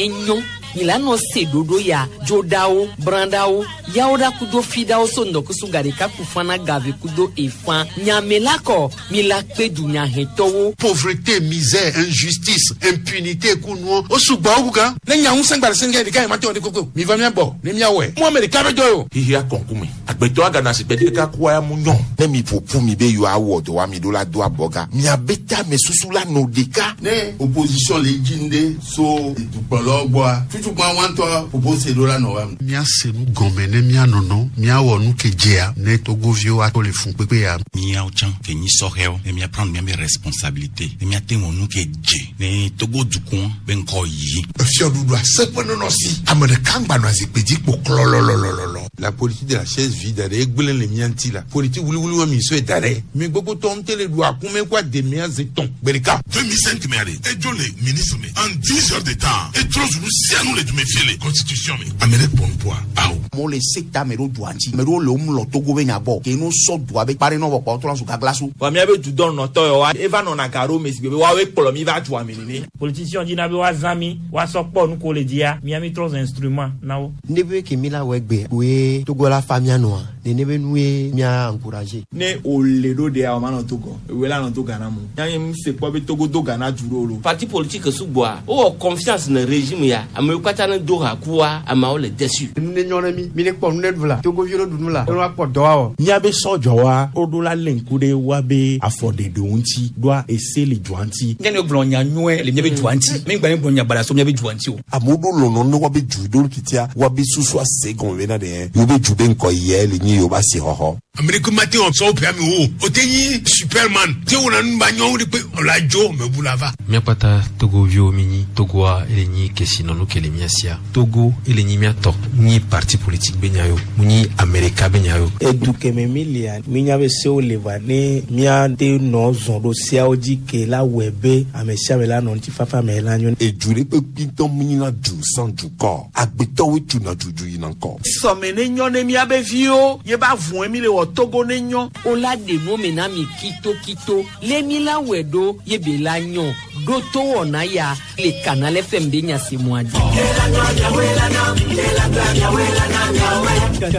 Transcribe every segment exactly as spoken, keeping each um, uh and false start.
Ne nyɔ mi la nɔ se ɖoɖo ya dzoɖawo brãɖawo yawo ɖa kudo fiɖawo so ŋdɔkusu gaɖeka kufana gave kudo efã nyame la kɔ mi la kpe dunyahɛtɔwo. Pauvreté, misère, injustice, impunité kunuɔ o sugbɔ wu gan. Ne nya ŋusẽ gba le sɛngɛ ɖeka yi ma te wɔ ɖe koko mi va mía gbɔ ne míawɔe mu ame ɖeka be dɔ ye o. Xixia kɔnkume agbetɔ agana si gbɛdɛ ɖeka kua ya mu nyɔ. Ne mi ƒoƒu mi be yewoawɔ dɔ wa mi ɖo la do abɔga miabe tame susu la nɔ ɖeka. Ne opposition le dzi ŋɖe so dukplɔlawo gbɔa tutukpa wa ŋutɔ ƒoƒo se ɖo la nɔ wa. Míase nu gɔme ne míanɔnɔ míawɔ nu ke dzea ne togoviwo ato le fun kpekpe ya. Míawo tsã ke nyi sɔhɛwo ne míaprendre míabe responsabilité ne míate wɔ nu ke dze ne Togo dukɔ be ŋkɔ yi. Efiɔɖuɖu aseƒe nɔnɔ si ame ɖeka ŋgba nɔ azikpui dzi kpo klɔlɔlɔlɔlɔ. La politique de la chaise vide ɖe egblẽ le mía ŋuti la politique wuliwuli wa mi sɔe da ɖe mi gbogbo tɔ ŋute le ɖu akume kó ademea ze tɔn gbe ɖeka. deux mille cinq mɛ ale edzo le ministre me en dix heures de temps etrɔ zunu sianu le dume fie le constitution me ame ɖe kpɔ nupoa awo. Amewo le se ta ame ɖewo dua ŋuti ame ɖewo le wo mlɔ Togo be nya gbɔ ke no sɔ dua be kpa ɖe nɔ vɔ kpɔ trɔ zu gagla so. Wa míabe dudɔ nɔtɔ yɔ wa eva nɔna ga ɖo me si be woawoe kplɔ mi va dua me nene. Politicien dina be woazã mi woasɔ kpɔ nu ko le dzia mía mi trɔ zu instrument na wo. Ne be ke mi la wɔ egbe koe Togo la fa mía nɔa nene be nu ye mía encourager. Ne o le ɖo ɖea o ma nɔ Togo ewoe la nɔ to Ghana mo yanyi mu se kpɔ be Togo do Ghana du ɖo lo. Parti politique sugbɔa wowɔ confiance ne régime ya amewo katã ne do ha kua ameawo le déçu. Nu ne nyɔ ne mi mi ne kpɔ nu ne ɖu la Togoviwo ne ɖu nu la ne woakpɔ dɔ awɔ. Míabe sɔdzɔwa woɖo la lé ŋku ɖe woabe afɔɖeɖewo ŋuti ɖoa ese le dua ŋuti. Ne ne gblɔ nya nyuie le míabe dua ŋuti mi gba ne gblɔ nya baɖa so míabe dua ŋuti o. Amewo ɖo lɔlɔ ne woabe du ɖo titia woabe susu ase gɔme bena ɖe yewo be du be ŋkɔ yɛ le nyi yewo be asixɔxɔ. Amerika ma te wɔ sɔwɔ ƒe ame wo o te nyi superman te wɔna nu ba nyɔwo de kpe ɔla dzo mɛ bu la va. Míakpata togoviwo mi nyi Togoa ele nyi kesinɔnu ke le mía sia Togo ele nyi mía tɔ nyi parti politique be nya yo mu nyi Amerika be nya yo. Edu kɛmɛ mi lia mi nya be sewo le va ne míate nɔ zɔn ɖo seawo dzi ke la wɔe be ame sia ame la nɔ ŋutifafa me la nyo. Edu ɖe kpekpe ŋutɔ mu nyina du sans dukɔ agbetɔwoe tuna dudu yina ŋkɔ. Sɔme ne nyɔ ne míabe viwo ye ba vɔe mi le wɔ Togo ne nyɔ. O la ɖe nu me na mi kitokito le mi la wɔe ɖo ye be la nyɔ ɖo to wɔna ya le Canal F M be nyasemua dzi.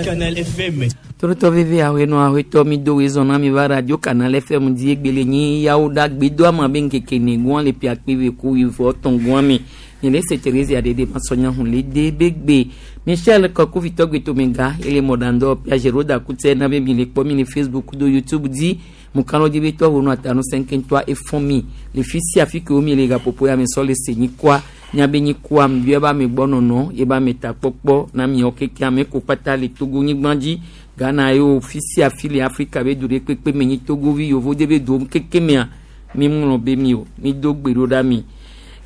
Canal F M. Torotɔ veve aƒenɔ aƒetɔ mi do wezɔn na mi va radio Canal F M dzi egbele nyi yawo ɖa gbedo ama be ŋkeke ne le pia kpe ku wivɔ tɔn gɔn mi nye le se Therese aɖeɖe masɔnya hun le de be gbe Michel Kɔkuvitɔ gbetomega ele mɔɖandɔ pia Geroda kutɛ na be mi le kpɔ mi le Facebook do YouTube dzi mukalo dzi be tɔ wo nu atanu sɛnkɛntɔa efɔn mi le fi sia fi ke wo mi le gaƒoƒo ya me sɔ le se nyikɔa miabe nyikɔa mi ebe ame gbɔ nɔnɔ ebe ame takpɔkpɔ na miawo keke ame ko kpata le Togo nyigba dzi Ghana yewo fi sia fi le Afrika be du ɖe kpekpe me nyi togovi yovo de be do keke mea mi ŋlɔ be mi o mi do gbe ɖo ɖa mi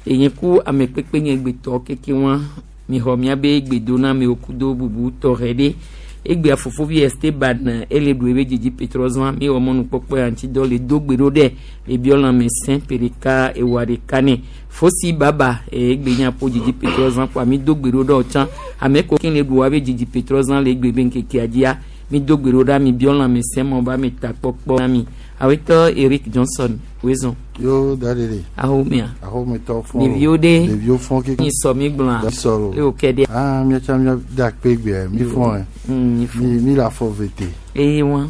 enye ku ame kpekpe nye gbetɔ keke wa mi xɔ miabe gbedoname kudo bubu tɔxɛ ɖe egbea fofovi Esteban ele ɖu ebe dzidzi petrɔzã mi wɔ mɔnukpɔkpɔ ya ŋuti dɔ le do gbe ɖo ɖe le biɔ lãme sẽ ƒe ɖeka ewoa ɖeka nɛ fosi baba egbe nya ƒo dzidzi petrɔzã kpoa mi do gbe ɖo ɖe tsã ame ko ke le ɖu woabe dzidzi petrɔzã le egbe be ŋkekea dzia mi do gbe ɖo ɖa mi biɔ lãme sẽ mɔ ba mi takpɔkpɔ na mi awetɔ Eric Johnson wezɔn. Yo da de. Ahomea. Ahometɔ fɔn. Ɖeviwo ɖe. Ɖeviwo fɔn keke. Mi sɔ mi gblɔa. Mi sɔ o. O kɛ ɖe. Aa miatsa mia da kpe gbea mi fɔn ɛ. Mi fɔn. Mi mi le afɔ vete. Eye wa.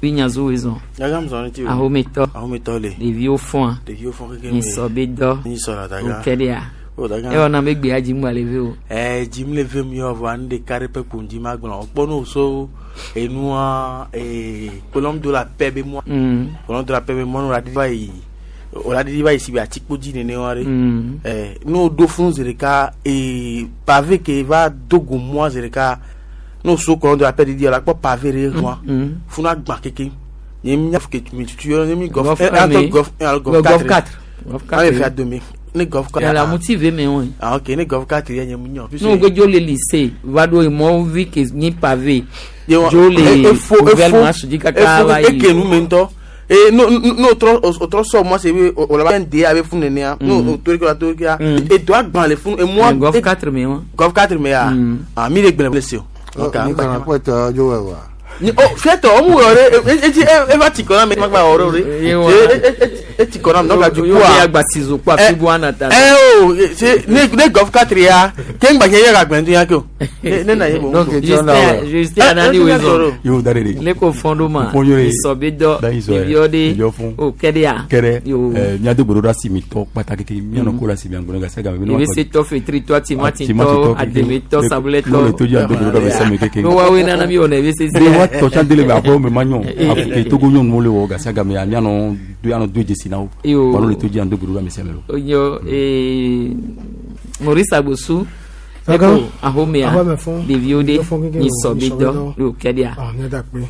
Mi nyazo wezɔn. Nyagam zɔn ti o. Ahometɔ. Ahometɔ le. Ɖeviwo fɔn. Ɖeviwo fɔn keke. Mi sɔ be dɔ. Mi sɔ la daga. O kɛ ɖea. O daga. Ewɔ na be gbea dzi ŋgba le ve o. Ɛɛ dzim le vem yɔ vɔa nu ɖeka ɖe ƒe kpo ŋdzi ma gblɔ. Kpɔ no so enua ee colombe de la paix be mɔ. Mm. Colombe de la paix be mɔ no la ɖiɖi va yi o la ɖiɖi va yi si be atikpo dzi nene wa ɖe. Mm. Ɛɛ n'o do funu zi ɖeka ee pavé ke va do go mɔa zi ɖeka n'o so colombe de la paix ɖiɖi la kpɔ pavé ɖe hɔa. Mm. Funu agbã keke. Nye mi nya ke mi tutu yɔ nye mi golf Golf un un alo me. golf un alo golf Golf quatre. quatre. Golf quatre. An le fi adome ne golf quatre. La motive me wɔn. Ah ok, ne golf quatre yɛ nye mu nyɔ. N'o gbe le lycée va ɖo emɔvi ke nyi pavé. Ye wa- Dzo le e- efo nouvelle efo marche dzi kaka efo va yi. eke nu me ŋutɔ ee no no trɔ o trɔ sɔ mɔ se be o la ba de a be funu nenea no o tori ke la tori ke la edo agban le funu emua Mm, golf quatre me wa. Golf quatre me ya ah mi le gblẽ le se o. Mi kana kpɔ tɔ dzo wɛ wa. Oh, fiɛtɔ o mu yɔ ɖe etsi eva tsi kɔ na mi magba wɔ ɖe o ɖe e etsi kɔ na mi donc du coup a. Agbasizo kó afi bu ana ta. Ɛ o se ne ne Golf quatre ya ke ŋgba yɛ ka gbɛntu ya ke o ne ne na ye bon. Justin Justin anani wezo. Yo da de. Ne ko fɔn do ma. Isɔbi dɔ ɖeviwo de o kɛ de ya. Kɛrɛ miado gbeɖo ɖe asi mi tɔ kpata keke mianɔ ko la si miagbɔnɔ gasi game. Ebi se tɔ fetri tɔ timati tɔ ademe tɔ sabulɛ tɔ. N'o le to dzi ado gbeɖo ɖe ame sia ame keke. N'o wa we nana mi wɔna ebi se se. Ne wa tɔ tsã de le me aƒewo me ma nyɔ Togo nyɔnuwo le wɔ gasi game mianɔ do anɔ do dzesi na wo. Yo. Wa n'o le to dzi ado gbeɖo ɖe ame sia ame lo. Yo ee Maurice Agbosu. Eko ahomea ɖeviwo ɖe nyisɔ bi dɔ yo kɛɖia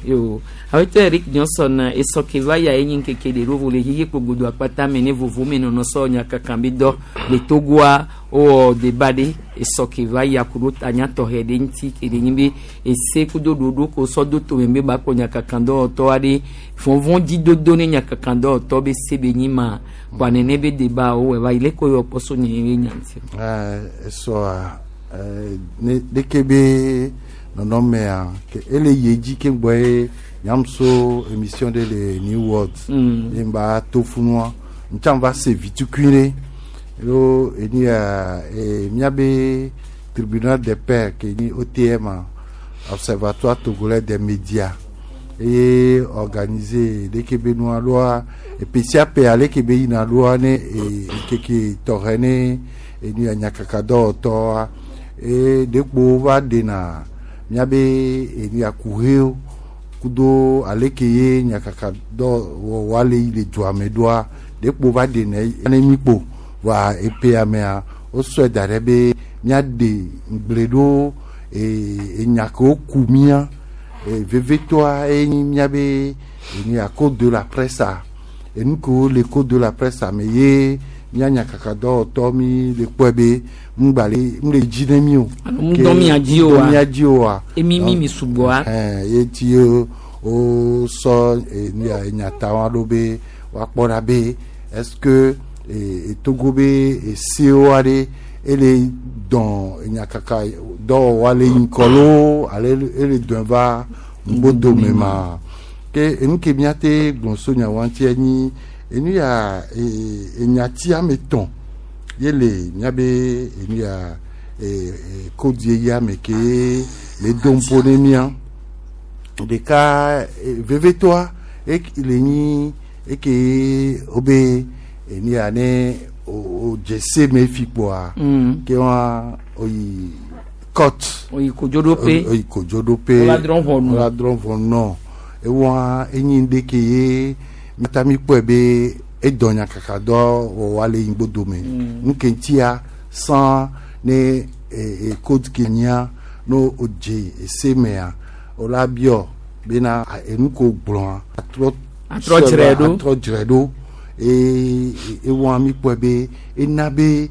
yo awetɔ Eric Johnson esɔ ke va ya enyi nkeke ɖe ɖo vo le xixe kpogbodo akpata me ne vovo me nɔnɔ sɔ nyakaka bi dɔ le Togoa wowɔ deba ɖe esɔ ke va ya ku ɖo tanya tɔxɛ ɖe ŋuti ke ɖe nyi be ese kudo ɖoɖo ko sɔ do tome be ba kplɔ nyakaka dɔwɔtɔ aɖe vɔvɔ dzidodo ne nyakaka dɔwɔtɔ be se be nyi ma kɔa nene be deba wowɔ va yi le ko yɔ kpɔso nye be nya ŋuti. Esɔa ne ɖeke be nɔnɔmea ele yi edzi ke gbɔ ye nyamso émission ɖe le New World ye ŋba to funua ŋtsã va se vitukui ɖe alo eni ya miabe tribunal des pairs ke nyi O T M Observatoire togolais des médias eye organiser ɖeke be nua ɖoa epesia pe ale ke be yina ɖoa ne keke tɔxɛ ne enu ya nyakaka dɔwɔtɔa e ɖekpo va ɖena miabe enu ya kuhewo kudo ale ke ye nyakaka dɔwɔwɔ le yi le dua me ɖoa ɖekpo va ɖena ne mi kpo va epea mea wosɔe da ɖe be miaɖe ŋugble ɖo enya kewo ku mía vevetɔa enyi miabe enu ya code de la presse enu kewo le code de la presse me ye mía nyakaka dɔwɔtɔ mi le kpɔe be ŋgba le ŋ le dzi ne mi o. Ŋdɔ mia dzi o wa mia dzi o wa. Emi mi mi sugbɔa. Ɛn ye ti o o sɔ enu ya enyata wa ɖo be woakpɔ ɖa be est-ce que e Togo be esewo aɖe ele dɔn nyakaka dɔwɔwɔ le ŋkɔ loo ale ele dɔn va ŋgbodome ma ke enu ke miate gblɔ so nyawo ŋuti enyi enu ya enyati ame tɔn ye le miabe enu ya code ye ame ke le do ŋpo ne mia ɖeka vevetɔa le nyi eke wobe enu ya ne o dze me fi kpoa ke wa oyi court oyi kodzoɖoƒe oyi kodzoɖoƒe wola drɔ̃ ʋɔnu wola drɔ̃ ʋɔnu ewa enyi ŋɖe ke ye miata mi kpɔe be edɔ nyakaka dɔ wɔwɔ le ŋgbodome nu ke ŋutia san ne e code ke nyia no o dze ese mea wola biɔ bena enu ko gblɔa atrɔ atrɔ dzrɛ ɖo atrɔ dzrɛ ɖo e ewa mi kpɔe be ena be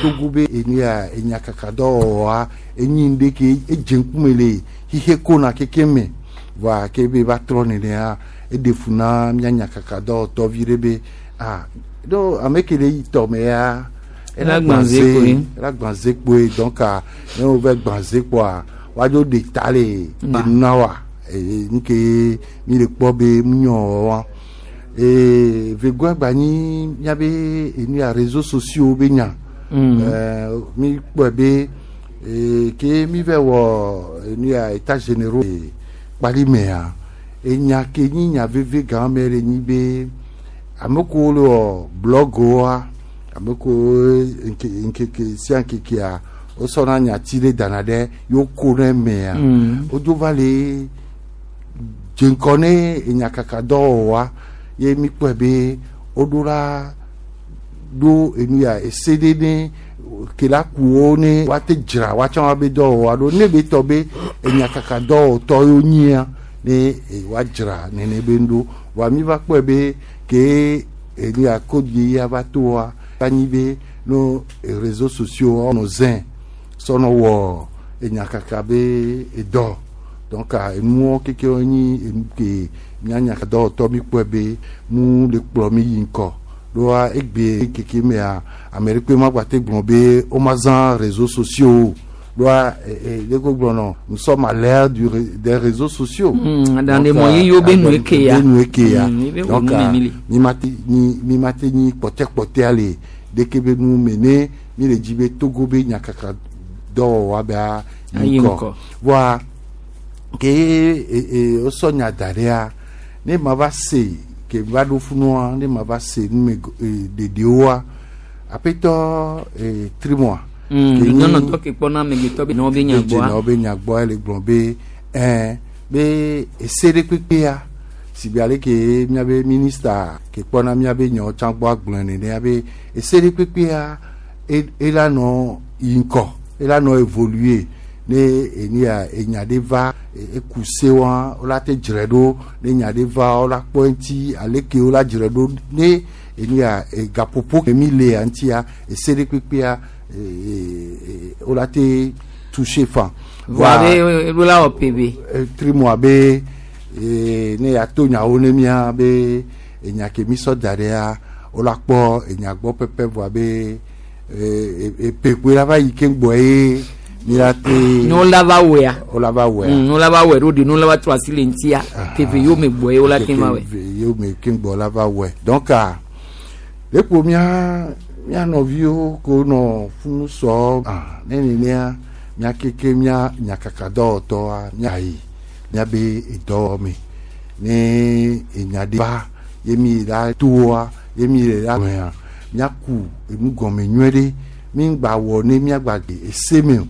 Togo be enu ya enyakaka dɔwɔwɔa enyi ŋɖe ke edze ŋkume le xixe kona keke me voa ke be va trɔ nenea eɖe fu na mía nyakaka dɔwɔtɔ vi ɖe be ah ɖo ame ke le yi tɔme ya ela gbã ze kpoe ela gbã ze kpoe donc ne wo va gbã ze kpoa woadzo ɖe ta le enua wa nu ke mi le kpɔ be mu nyɔ wɔwɔ ee vegoa gba nyi miabe enu ya réseaux sociaux be nya ɛɛ mi kpɔe be ee ke mi vɛ wɔ enu ya états généraux kpali mea enya ke nyi nya veve gã me le nyi be ame kewo le wɔ blɔgoa ame kewo nke nkeke sia nkekea wosɔna nyati ɖe dana ɖe yewo ko ɖe mea wodzo va le dze ŋkɔ ne enyakaka dɔwɔwɔa ye mi kpɔe be woɖo la ɖo enu ya ese ɖe ne ke la ku wo ne woate dzra woatsã woabe dɔwɔwɔa ɖo ne be tɔ be enyakaka dɔwɔtɔ yewo nyia ne woadzra nene be ŋɖo voa mi va kpɔe be ke enu ya code ye ya va toa anyi be no réseaux sociaux nɔ zẽ sɔnɔ wɔ enyakaka be edɔ donc enuwo keke nyi enu ke mía nyakaka dɔwɔtɔ mi kpɔe be mu le kplɔ mi yi ŋkɔ ɖoa egbe keke mea ame ɖe kpe ma gba te gblɔ be womazã réseaux sociaux Doa leko gblɔ nous sommes à l'ère du des réseaux sociaux. Dans les moyens yo be nu eke ya. Be nu eke ya. Mm, donc mi mate ni mi mate ni kpɔtɛ kpɔtɛ ale deke be nu mene mi le dzi be Togo be nyakaka dɔwɔwɔ be Ayi ŋkɔ. Voa ke e e wosɔ nya da ɖea ne ma va se ke va ɖo funua ne ma va se nume ɖeɖewoa aƒetɔ e trimoa. Nyɔnutɔ ke kpɔna amegbetɔ be nɔwo be nya gbɔa. Nɔwo be nya gbɔa le gblɔ be ɛɛ be ese ɖe kpekpea si be ale ke míabe minista ke kpɔna míabe nyawo tsã gbɔ agblɔe nenea be ese ɖe kpekpea ela nɔ yi ŋkɔ ela nɔ évoluer ne enia enya ɖe va eku se wa wola te dzre ɖo ne nya ɖe va wola kpɔ eŋuti ale ke wola dzre ɖo ne enia gaƒoƒo ke mi lea ŋutia ese ɖe kpekpea wola te toucher fan. Voa be eɖo la wɔ pebe. Trimoa be ne ya to nyawo ne mía be enya ke mi sɔ da ɖea wola kpɔ enya gbɔ pɛpɛ voa be epe la va yi ke gbɔ ye mi la te. Ne wola va wɔea. Wola va wɔea. Ne wola va wɔe ɖo de ne wola va trɔ asi le ŋutia keve yewo me gbɔ ye wola te va wɔe. Keve yewo me ke gbɔ la va wɔe donc lekpo mía mía nɔviwo ko nɔ funu sɔ ah ne nenea mía keke mía nyakaka dɔwɔtɔa mía yi míabe edɔwɔ me ne enya ɖe va ye mi la toa ye mi le la mea míaku enu gɔme nyuie ɖe mi ŋgba wɔ ne míagba de ese me o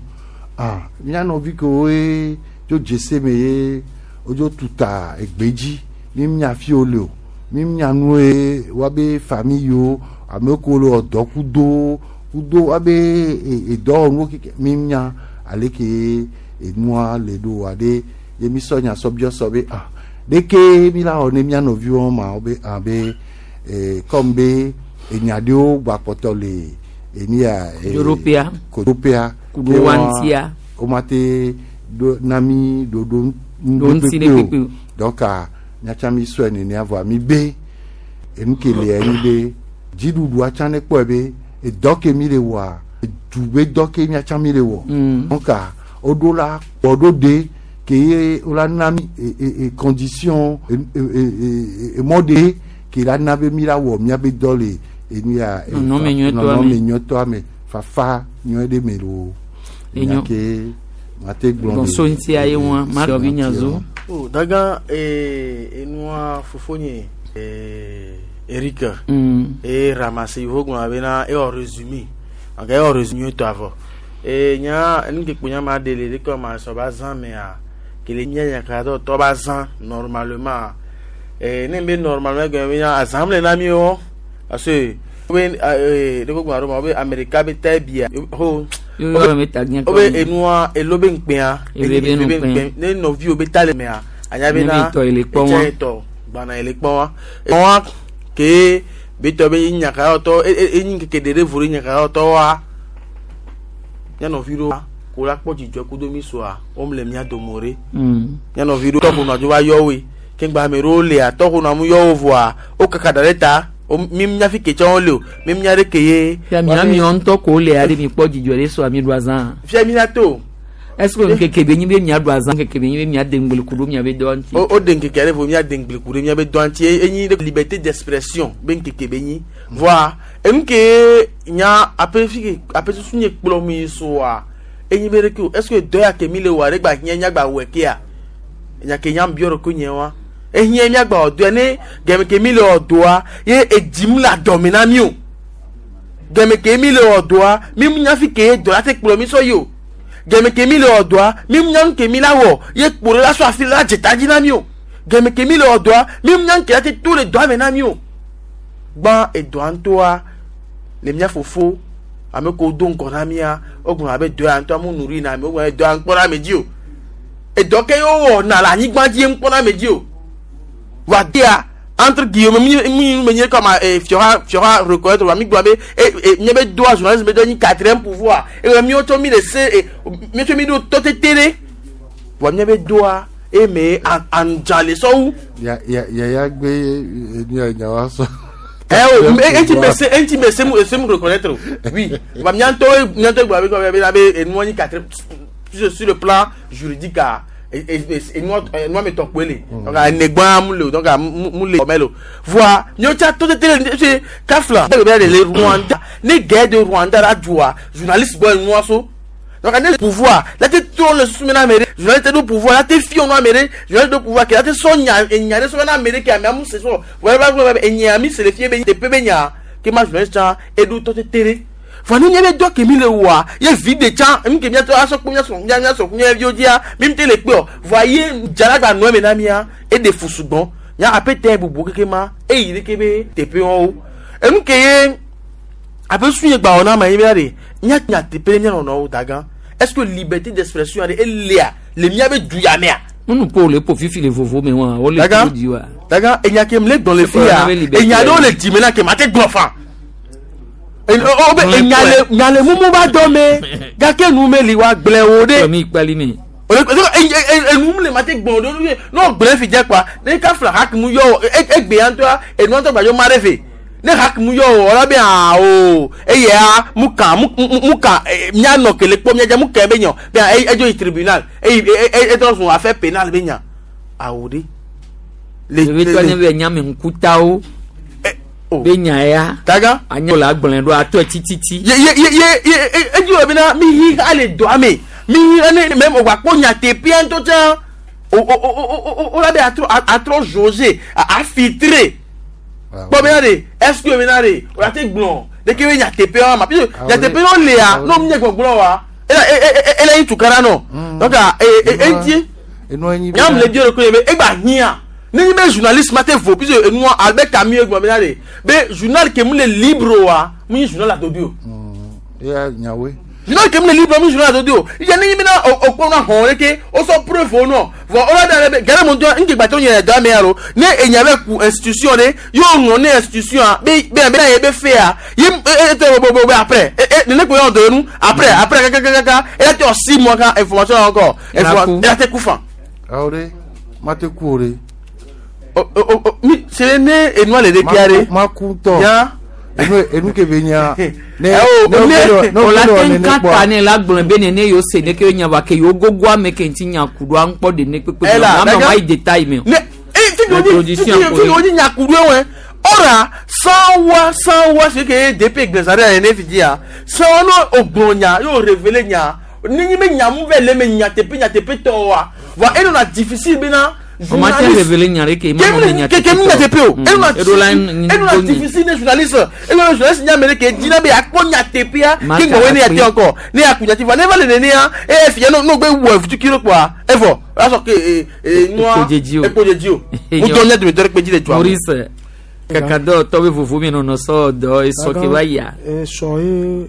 ah mía nɔvi kewoe tso dze se me ye wodzo tuta egbe dzi mi mía fi wo le o mi mía nue woabe famille yiwo ame kewo le wɔ dɔ kudo kudo woabe edɔwɔnuwo keke mi mía ale ke enua le ɖo wa ɖe ye mi sɔ nya sɔ biɔ sɔ be ah ɖeke mi la wɔ ne mía nɔviwo ma wo be ah be ee comme be enya ɖewo gba kpɔtɔ le enia. Kodzodopea. Kodzodopea. Kudo wa ŋutia. wo ma te ɖo na mi ɖoɖo Ɖo ŋuti ɖe kpekpe o. Donc míatsã mi sɔe nenea voa mi be enu ke lia nyi be dziɖuɖua tsã ne kpɔe be edɔ ke mi le wɔa edu be dɔ ke míatsã mi le wɔ. Donc woɖo la kpɔ ɖo ɖe ke ye wola na mi e e e condition e e e emɔ ɖe ke la na be mi la wɔ míabe dɔ le enu ya. Nɔnɔme nyuietɔa me. Nɔnɔme nyuietɔa me fafa nyuie ɖe me loo. Enyo. Nya ke mate gblɔ Bon so ŋutia ye ŋua ma nɔvi nyazo. Oh, daga eh, enua fofonye eh, Eric Mm. e ramassé ivo gblɔ bena ewɔ résumé anka ewɔ résumé tɔ avɔ e nya nu ke kponya ma de le de kɔ ma sɔ ba zã mea kele mía nyakaka dɔ tɔ ba zã normalement eh, ne be normalement gɔme be nya azã le na mi o parce que wo be eh, de ko gblɔ ɖo ma wo be Amerika be ta bia ho Yo yɔ me ta gã wo be enua elo be ŋkpɛa Elo be ŋkpɛa. ne nɔviwo be ta le mea anya Ne bena be tɔ ele kpɔ wa. etsɛ tɔ gbana ele kpɔ wa wa ke be tɔ be nyaka tɔ enyi keke ɖe ɖe vo ɖe nyaka tɔ wa mía nɔvi ɖewo ko la kpɔ dzidzɔ kudo mi soa wo le mía dome ɖe Mm. mía nɔvi ɖewo tɔxɔ nɔ dzo va yɔ woe ke ŋgba ame ɖewo lea tɔxɔ nɔ amu yɔ wo voa wo kaka da ɖe ta wo mi mía fi ke tsɛ wo le o mi mía ɖe ke ye Fia mía miɔ ŋutɔ ko le aɖe mi kpɔ dzidzɔ ɖe so mi ɖu azã. Fia mi la to. Est-ce que ŋkeke be nyi be mía ɖu azã ŋkeke be nyi be mía de ŋgble ku ɖo mía be dɔ ŋuti. o o de ŋkeke ɖe vo mía de ŋgble ku ɖe mía be dɔ ŋuti enyi ɖe liberté d'expression be ŋkeke be nyi voa enu ke nya aƒe fi ke aƒe susu nye kplɔ mi soa enyi be ɖeke o est ce que dɔ ya ke mi le wɔa ɖe gba hiã mía gba wɔe kea nya ke nya biɔ ɖe ko nye wa ehiã mía gba wɔ dɔa ne gɛmɛ ke mi le wɔ dɔa ye edzim le adɔme na mi o gɛmɛ ke mi le wɔ dɔa mi nya fi ke dɔ la te kplɔ mi sɔ yi o gɛmɛ ke mi le wɔ dɔa mi nya nu ke mi la wɔ ye kpo ɖe la sɔ afi la dze ta dzi na mi o gɛmɛ ke mi le wɔ dɔa mi nya nu ke la te to le dɔa me na mi o gbã edɔa ŋutɔa le mía fofo ame kewo do ŋgɔ na mía wogblɔ abe dɔ ya ŋutɔ amu nu na ame wogblɔ be dɔ ya ŋkpɔ na ame dzi o edɔ ke yewo wɔna le anyigba dzi ye ŋkpɔ na ame dzi o wa dea entre guillemets mi mi mi nye comme eh, fiora fiora reconnaître wa mi gblɔ be eh, eh, nye be doa journalisme be dɔ nyi quatrième pouvoir eye miwo tsɔ mi le se eh, miwo tsɔ mi ɖo tɔ tete ɖe wa nye be doa eme andza le sɔwu. Ya ya ya ya gbe enu ya nya wa sɔ. Eh oh, enti me enti me se mu se mu reconnaître. Oui. Va mianto mianto gba be be be enu ni quatre sur le plan juridique et et nous nous mettons kwele. Donc enegba mu le donc mu le melo. Voir nyocha tout télé kafla be be le Rwanda, ne guerre de Rwanda la joie, journaliste boy nous so. Donc on pouvoir, là tu tournes le sous maintenant Amérique, journaliste de pouvoir, là tu fi on Amérique, journaliste de pouvoir qui là tu son nya nya so na Amérique qui a mu c'est so. Voilà voilà et nya mi c'est le fi be te pe nya qui ma journaliste et d'où tout télé. Fani nye be dɔ kemi le wa ye vi de tsã emi ke miatɔ asɔ kpo miasɔ mia miasɔ mia viwo dzia mi ŋutɛ le kpe o voa ye dzalagba nɔ eme na mia eɖe fu sugbɔ nya apete bubu keke ma eyi ɖeke be teƒe wɔwo enu ke ye abe su ye gba wɔ na ma ye bia de nya nya teƒe mia nɔnɔwo da gã est-ce que liberté d'expression aɖe elea le mia be du ya mea. Nunu po le po fifi le vovo me wa o le tu di wa. Daga enya ke mle gbɔn le fi ya enya ɖewo le dzime na ke ma te gblɔ fa. Nyale mumu ba dɔ me gake nu me li wa gblẽ wo ɖe. Mi kpali mi. Enu le ma te gbɔn ɖo n'o gblẽ fi dze kpa ne ka fila hakimu yɔ o egbe ya ŋutɔ enu ŋutɔ gbadzo ma ɖe fe ne hakimu yɔ o ɔlɔ be aa o eya mu kan mu mu kan mianɔ kele kpɔ miadze mu kɛ be nyɔ be edzo yi tribunal eyi etrɔ sun affaire pénale be nya awo de. Le le le le nyame ŋkutawo. Be nya ya. Daga. Anya la gblẽ ɖo atɔ tititi. Ye ye ye ye edzi wɔ bena mi hi ale dɔ ame mi hi ene mɛ o gba kpɔ nyateƒea ŋutɔ tsã o o o o o la be atrɔ atrɔ jauger a filtrer kpɔ bena de est-ce que bena de o la te gblɔ de ke be nyateƒea ma puisque nyateƒe no lea n'o mi nye gbɔgblɔ wa ela ela yi tukara nɔ donc e e ŋuti nyam le di o ko ye be egba hiã. Ne be journaliste ma te vo puisque nous Albert Camus gbɔ bena de be journal ke mu le libre wa mu nyi journal adodo o. Ya nyawe. Journal ke mu le libre mu journal adodo o. Ìyá ne nyi bena o kpɔ na hɔn leke o sɔ preuve o nɔ vɔ o la da be gɛrɛ mo ŋutɔ nke gbatɔ nyɛ dɔ ame ya lo ne enya bɛ ku institution de y'o ŋlɔ ne institution a be be bena ye be fe ya ye e e bo bo bo après e e nene ko yɔ do nu après après kakakaka e la te o six mois kan information encore e la te ku fan. Awo de ma te ku o de. O o o mi c'est ne enua le de kiare ma ku tɔ ya enu enu ke be nya ne ne o la te nka ne la gblɔ be ne ne yo se ne ke nya ba ke yo gogo ame ke ŋuti nya ku ɖo aŋkpɔ de ne kpekpe na ma ma yi détail me. Ne e fi o di fi o di nya ku ɖo wɛ ɔra san wa san wa se ke D P gbɛsare yɛ ne fi di ya san wa n'o o gblɔ nya y'o révélé nya ni nyi be nya mu vɛ le me nya teƒe nya teƒe tɔ wa wa e nana difficile bena. On m'a révélé nyare ke ma no nya ke ke mi nya tepe o e no na difficile ne journaliste e no journaliste nya mere ke dina be akpo nya tepe ya ke ngwe ne ya te encore ne ya kunya ti va ne va le ne ya e fi no no gbe wo futu kilo kwa e fo la so ke e e noa e ko jeji o mo to nya de pe ji le twa Maurice kakado to be vuvu mi no no so do e so ke wa ya e so e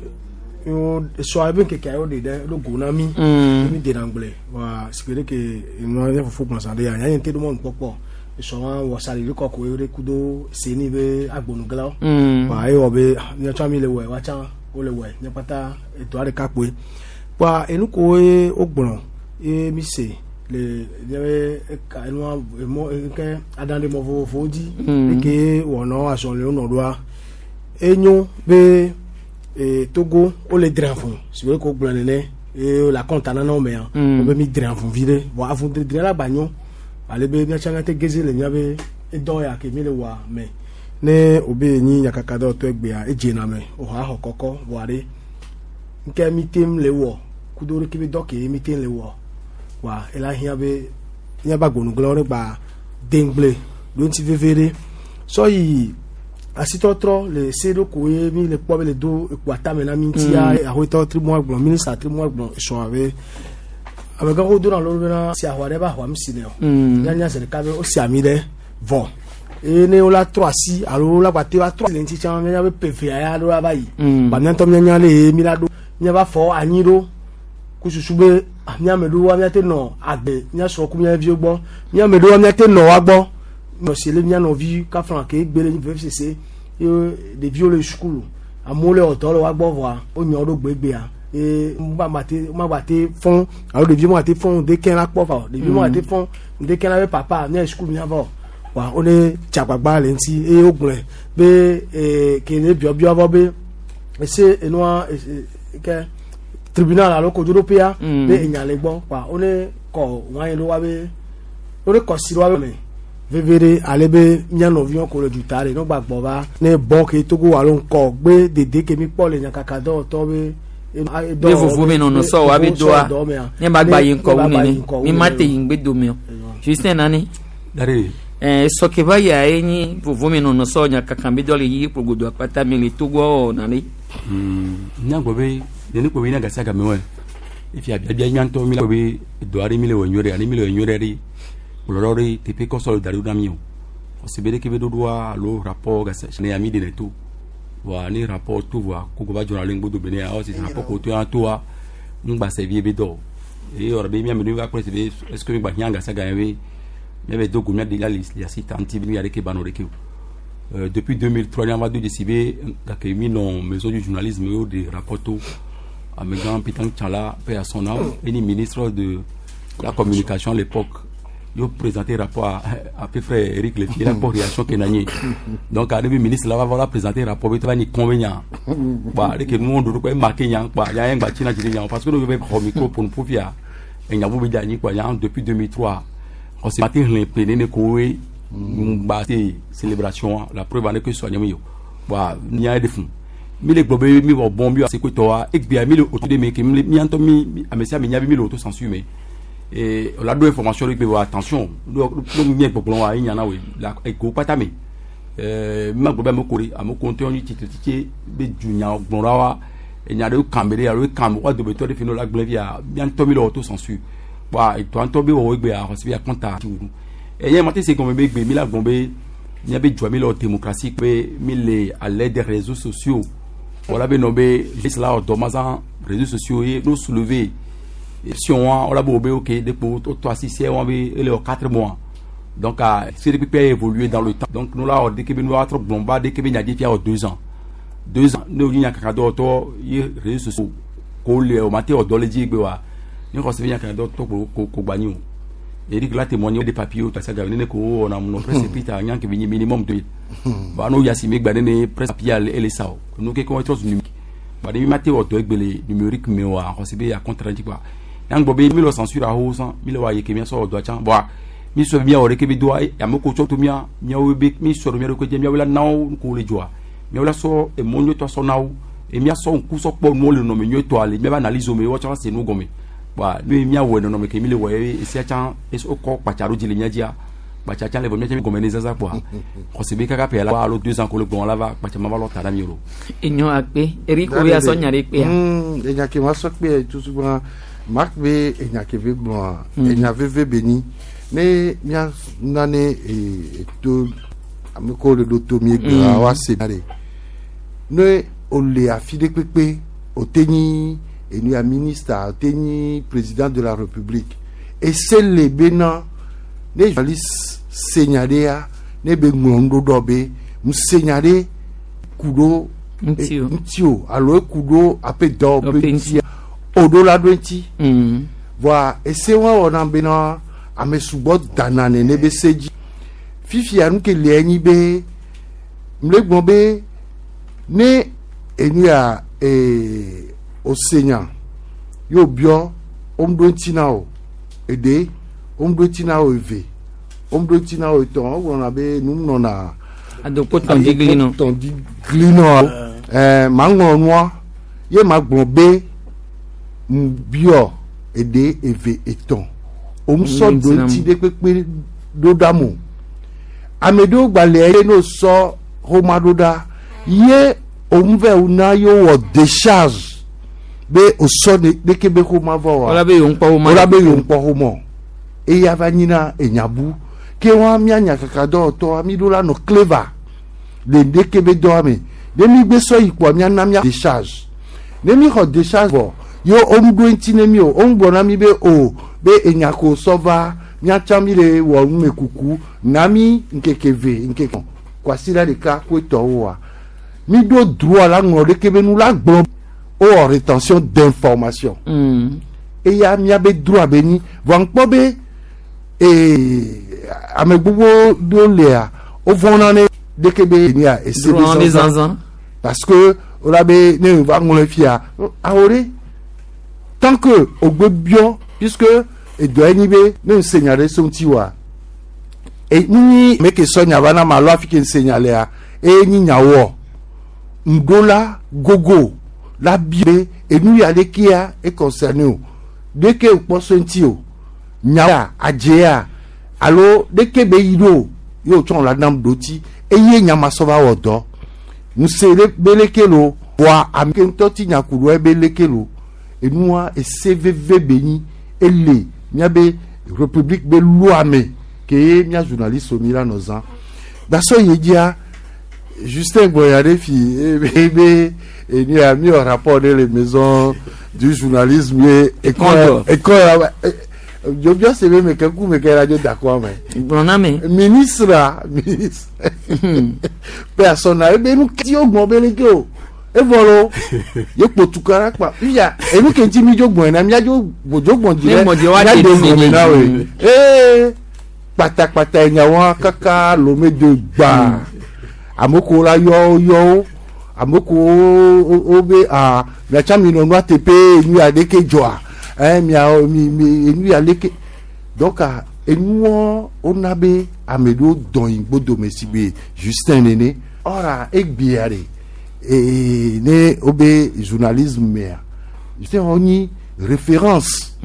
yo so abe ke ke o de de lo go na mi mi de na ngle wa sikere ke no ya fufu gbon sande ya nya te do mo npopo so wa wo sali ri koko ere kudo se ni be agbonu gla wa e wo be nya twa mi le we wa cha o le we nya pata eto are ka pe pa enu ko e ogbon e mi se le le ka enu mo ke adande mo fo fo di ke wono aso le ono do a enyo be e Togo o le dranfon si we ko gbon nene e la compte na no me an o be mi dranfon vide bo afun de dran la banyo ale be mi changa te geze le nya be e do ya ke mi le wa me ne o be ni nyakaka do to egbe a eje na me o ha ho koko bo are nke mi tem le wo kudoro ki be do ke mi tem le wo wa e la hia be nya ba gbonu glo re gba dengble do nti vevere so yi asitɔtrɔ le se ɖo ko ye mi le kpɔ be le do ekpo atame na mi ŋutia ahoetɔ tri mois gblɔ minista tri mois gblɔ sɔn abe amegãwo dona lɔ bena si ahua ɖe be ahua mi si ne o mianya zi ɖeka be wosi ami ɖe vɔ eye ne wola trɔ asi alo wola gba te va trɔ asi le ŋuti tsã mianya be pevea ya ɖo ava yi ba miatɔ mianya le ye mi la ɖo miava fɔ anyi ɖo kususu be miame ɖowoa miate nɔ agbe miasrɔ̃ ku mia viwo gbɔ miame ɖowoa miate nɔ wa gbɔ nɔ si le mia nɔvi kafla ke gbe le veve sese ye ɖeviwo le sukulu amewo le ɔdɔ le wa gbɔ vɔa wonyɔ ɖo gbegbea ye magba te fɔn alo ɖeviwo magba te fɔn ŋdekɛ la kpɔ va o ɖeviwo magba te fɔn ŋdekɛ la be papa mia sukulu mia va o Wa wo ne dzagbagba le ŋuti eye wogblɔe be ee ke ne biɔbiɔ vɔ be ese enua ese ke tribunal alo kodzoɖoƒea Mm. be enya le gbɔ wa wo ne kɔ wɔn ɖo wa be wo ne kɔ si ɖo wa be me veve ɖe ale be mía nɔviwo ko le duta ɖe ne gba gbɔ va ne bɔn ke Togo alo ŋkɔ gbe dede ke mi kpɔ le nyakaka dɔwɔtɔ be be vovo me nɔnɔ sɔ wa be doa ne ba gba yi ŋkɔ wu nene mi ma te yi ŋgbe dome o Justin nani. Dari. ɛɛ sɔke va yia ye nyi vovo me nɔnɔ sɔ nyakaka be dɔ le yi kpogbodo akpata me le Togo wɔ nani. Nya gbɔ be nene kpɔ be ina gasi agame wɔ efi abiabia nya ŋutɔ mi la gbɔ be dɔ aɖe mi le wɔ nyuie ɖe ani mi le wɔ nyuie ɖe ɖe kplɔlɔ ɖe teƒe kɔsɔ le da ɖo na mi o xɔse be ɖeke be ɖoɖoa alo rapport gasi ne ya mi ɖe to voa ne rapport to voa koko va dzɔna le ŋgbodo be ne ya ɔsi rapport ko to ya toa ŋgba sɛvi be dɔ o eye yɔrɔ be miame ɖe va kplɔ si be est ce que mi gba hiã gasi agame be miabe do go mia de la le asi ta ŋuti be nu ya ɖeke ba nɔ ɖeke o. Euh, depuis deux mille trois, n'y a pas de décidé gake mi nɔ maison du journalisme yo de rapport amegã Peter Tchala, paix à son âme, et ni ministre de la communication à l'époque yo présenté rapport à, à peu près Eric Lefier la pour réaction ke nanye. Donc arrivé ministre là va voilà présenter rapport be ni convenient bah de que nous on doit marquer nya quoi ya ngba china china parce que nous devons prendre micro pour nous pour fia et nya bu be quoi ya depuis deux mille trois on s'est matin plené ne kowe ngba te célébration. La preuve en est que soigner yo bah nya de fun mi le gbɔ be mi wɔ bɔn bi se ko tɔ wa egbea mi le auto de me ke mi mi ŋutɔ mi ame sia ame nya be mi le auto censure me et on a deux informations de gbe attention do nye gbɔgblɔ wa ye nyana we la ego kpata me ɛɛ mi ma gbɔ be ame ko de ame ko ŋutɔ nyi tsitre tsitsi be dunya gblɔ la wa enya ɖewo kan be ɖe alo kan wa dometɔ ɖe fi ne la gblẽ fia mia ŋutɔ mi le auto censure wa etɔ ŋutɔ be wɔwɔ egbea xɔsi be akɔnta ti wunu ɛyɛ ma te se gɔme be gbe mi la gbɔn be mia be dzɔa mi le démocratie be mi le à l'aide des réseaux sociaux wala be nɔ be juste la dɔ mazan réseaux sociaux ye no soulever si on wala be be ok de po to asi se on be ele quatre mois. Donc à C D P P a évolué dans le temps. Donc nous là dès que nous a trop blomba dès que nya di fia deux ans deux ans ne nya kaka do to ye réseaux sociaux ko le o mate o do le ji gbe wa ni ko se nya kaka do to ko ko gba ni o Eric la témoigné des papiers o ta ga ne ko on a mon presse écrite nya ke bi minimum de ba no ya si me gba ne presse papier ele sa o nous ke ko trop numérique ba de mi mate o do egbele numérique me wa ko se be ya contre quoi yang gbɔ be mi le censure aho san mi le wa ye ke mi sɔ do tsan bon mi sɔ mi awɔ ke bi do ame ko tsɔ to mia miawo be mi sɔ mia ɖo ke miawo la nawo ko le dzɔa miawo la sɔ emɔ nyuietɔ sɔ nawo e mia sɔ ŋku sɔ kpɔ nuwo le nɔnɔme nyuietɔa le miaba analyse me wɔtsɔ se nu gɔme wa ne miawɔ nɔnɔme ke mi le wɔ ye esia tsã wokɔ kpatsa ɖo dzi le mia dzia kpatsa tsã le vɔ mia tsã mi gɔme ne zaza kpoa xɔse be kaka ƒe la alo deux ans ko le gbɔn la va kpatsa ma va lɔ ta na mi o. Enyo akpe Eric obi asɔ nya ɖe kpea. Enya ke ma sɔ kpe tutu gbɔna mak be enya ke ve gblɔa enya veve be ni ne mia nane eto ame ko le ɖo to mi egbea wa se ɖe ne o le afi ɖe kpekpe o te nyi enu ya ministre o te nyi président de la République ese le bena ne journaliste se nya ɖe ya ne be ŋlɔ nuɖoɖɔ be ŋuse nya ɖe ku ɖo ŋuti o alo eku ɖo aƒe dɔ ƒe ŋutia o ɖo la ɖo ŋuti voa ese wa wɔna bena ame sugbɔ dana nene be se dzi fifia nu ke le enyi be mle gblɔ be ne enu ya ee o se nya yóò biɔ o ŋu ɖo ŋuti na o eɖe o ŋu ɖo ŋuti na o eve o ŋu ɖo ŋuti na o etɔ̃ o gblɔna be nu nɔna adokpo tɔndi glinɔ tɔndi glinɔ ɛɛ ma ŋlɔ nua ye ma gblɔ be ŋu biɔ eɖe eve etɔ̃ o ŋu sɔ ɖo ŋuti ɖe kpekpe ɖo ɖa mo ame ɖewo gba le ye n'o sɔ xɔma ɖo ɖa ye òun vɛ na ye wɔ décharge be o sɔ ɖeke be xɔma vɔ wa wala be yewo ŋkpɔ xɔma wala be yewo ŋkpɔ xɔmɔ eya va nyina enyabu ke wa mia nyakaka dɔwɔtɔ mi ɖo la nɔ clever le ɖeke be dɔa me ne mi gbe sɔ yi kpoa mia na mia décharge ne mi xɔ décharge vɔ ye wo ŋu ɖo ŋuti ne mi o wo ŋu gblɔ na mi be o be enya ko sɔ va miatsa mi le wɔ numekuku na mi ŋkeke ve ŋkeke kwasiɖa ɖeka ko etɔwo wa mi ɖo droit la ŋlɔ ɖeke be nu la gblɔ o wɔ rétention d'information mm. Eya miabe droit be nyi vɔ ŋkpɔ be ee ame gbogbo ɖewo lea wovɔna ne ɖeke be nia ese Drone be be zazã zazã. parce que wola be ne va ŋlɔ fia awo ɖe tant que ogbe biɔ puisque edɔ enyi be ne ŋse nya ɖe so ŋuti wa e nyi meke sɔ nya va na ma alo afi ke ŋse nya lea eye nyi nyawɔ ŋɖola gogo la bi be enu ya ɖekea e concerne o ɖeke kpɔ so ŋuti o nya adzea alo ɖeke be yi ɖo ye wotsɔ la nam ɖo ti eye nyamasɔ va wɔ dɔ ŋuse ɖe be leke lo voa ame ke ŋutɔ ti nya ku ɖo ebe leke lo enua ese veve be nyi ele miabe république be loi me ke ye mia journaliste mi la nɔ zã gbasɔ yi dzia Justin Gboya ɖe fi ebe be enu ya mi wɔ rapport ɖe le maison du journalisme ye Ekɔntɔ. ekɔ ya dzobia se be meke ku meke la dzo da kɔ me. Gblɔ na me. Ministre a ministre personne ebe nu keti wo gbɔn be leke o evɔ lo ye kpotu kara kpa fifia enu ke ŋuti mi dzo gbɔn yina mia dzo dzo gbɔn dzi Ne ɖe gbɔn dzi wa mia ɖe de nu gbɔn me na nɛ. woe ee kpatakpata nyawoa kaka lome do gbaa ame ko la yɔ yɔ wo ame ko wo wo be aa miatsa mi nɔ nua teƒe enu ya ɖeke dzɔa ɛ mia mi mi enu ya leke donc ah, enuɔ wona be ame ɖewo dɔn yi gbodome si be Justin nene ɔra egbea ɖe ee ne wo be journalisme mea Justin wo nyi référence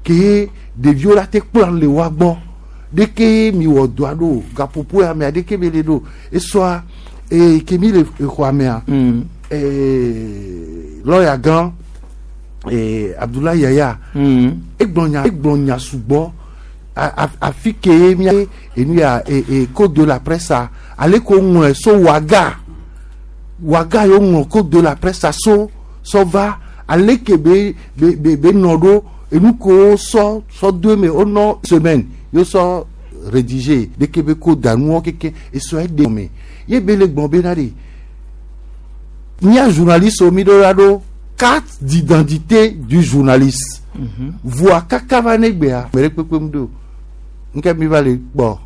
ke ɖeviwo la te kplɔ le wa gbɔ ɖeke mi wɔ dɔa ɖo gaƒoƒo ya mea ɖeke be le ɖo esɔa ee ke mi le exɔa mea ee lɔya gã ee Abdoulaye Yaya egblɔ nya egblɔ nya sugbɔ a- a- afi ke mia enu ya ee ee code de la presse a ale ko ŋlɔe so waga waga yo ŋlɔ code de la presse a so sɔ va ale ke be be be be nɔ ɖo enu ko sɔ sɔ do eme wonɔ semaine yo sɔ rédiger ɖeke be ko danuɔ keke esɔ eɖe me ye be le gbɔn bena ɖe mía journaliste wo mi ɖo la ɖo carte d'identité du journaliste voa kaka va ne gbea me ɖe kpekpe mu ɖo nke mi va le kpɔ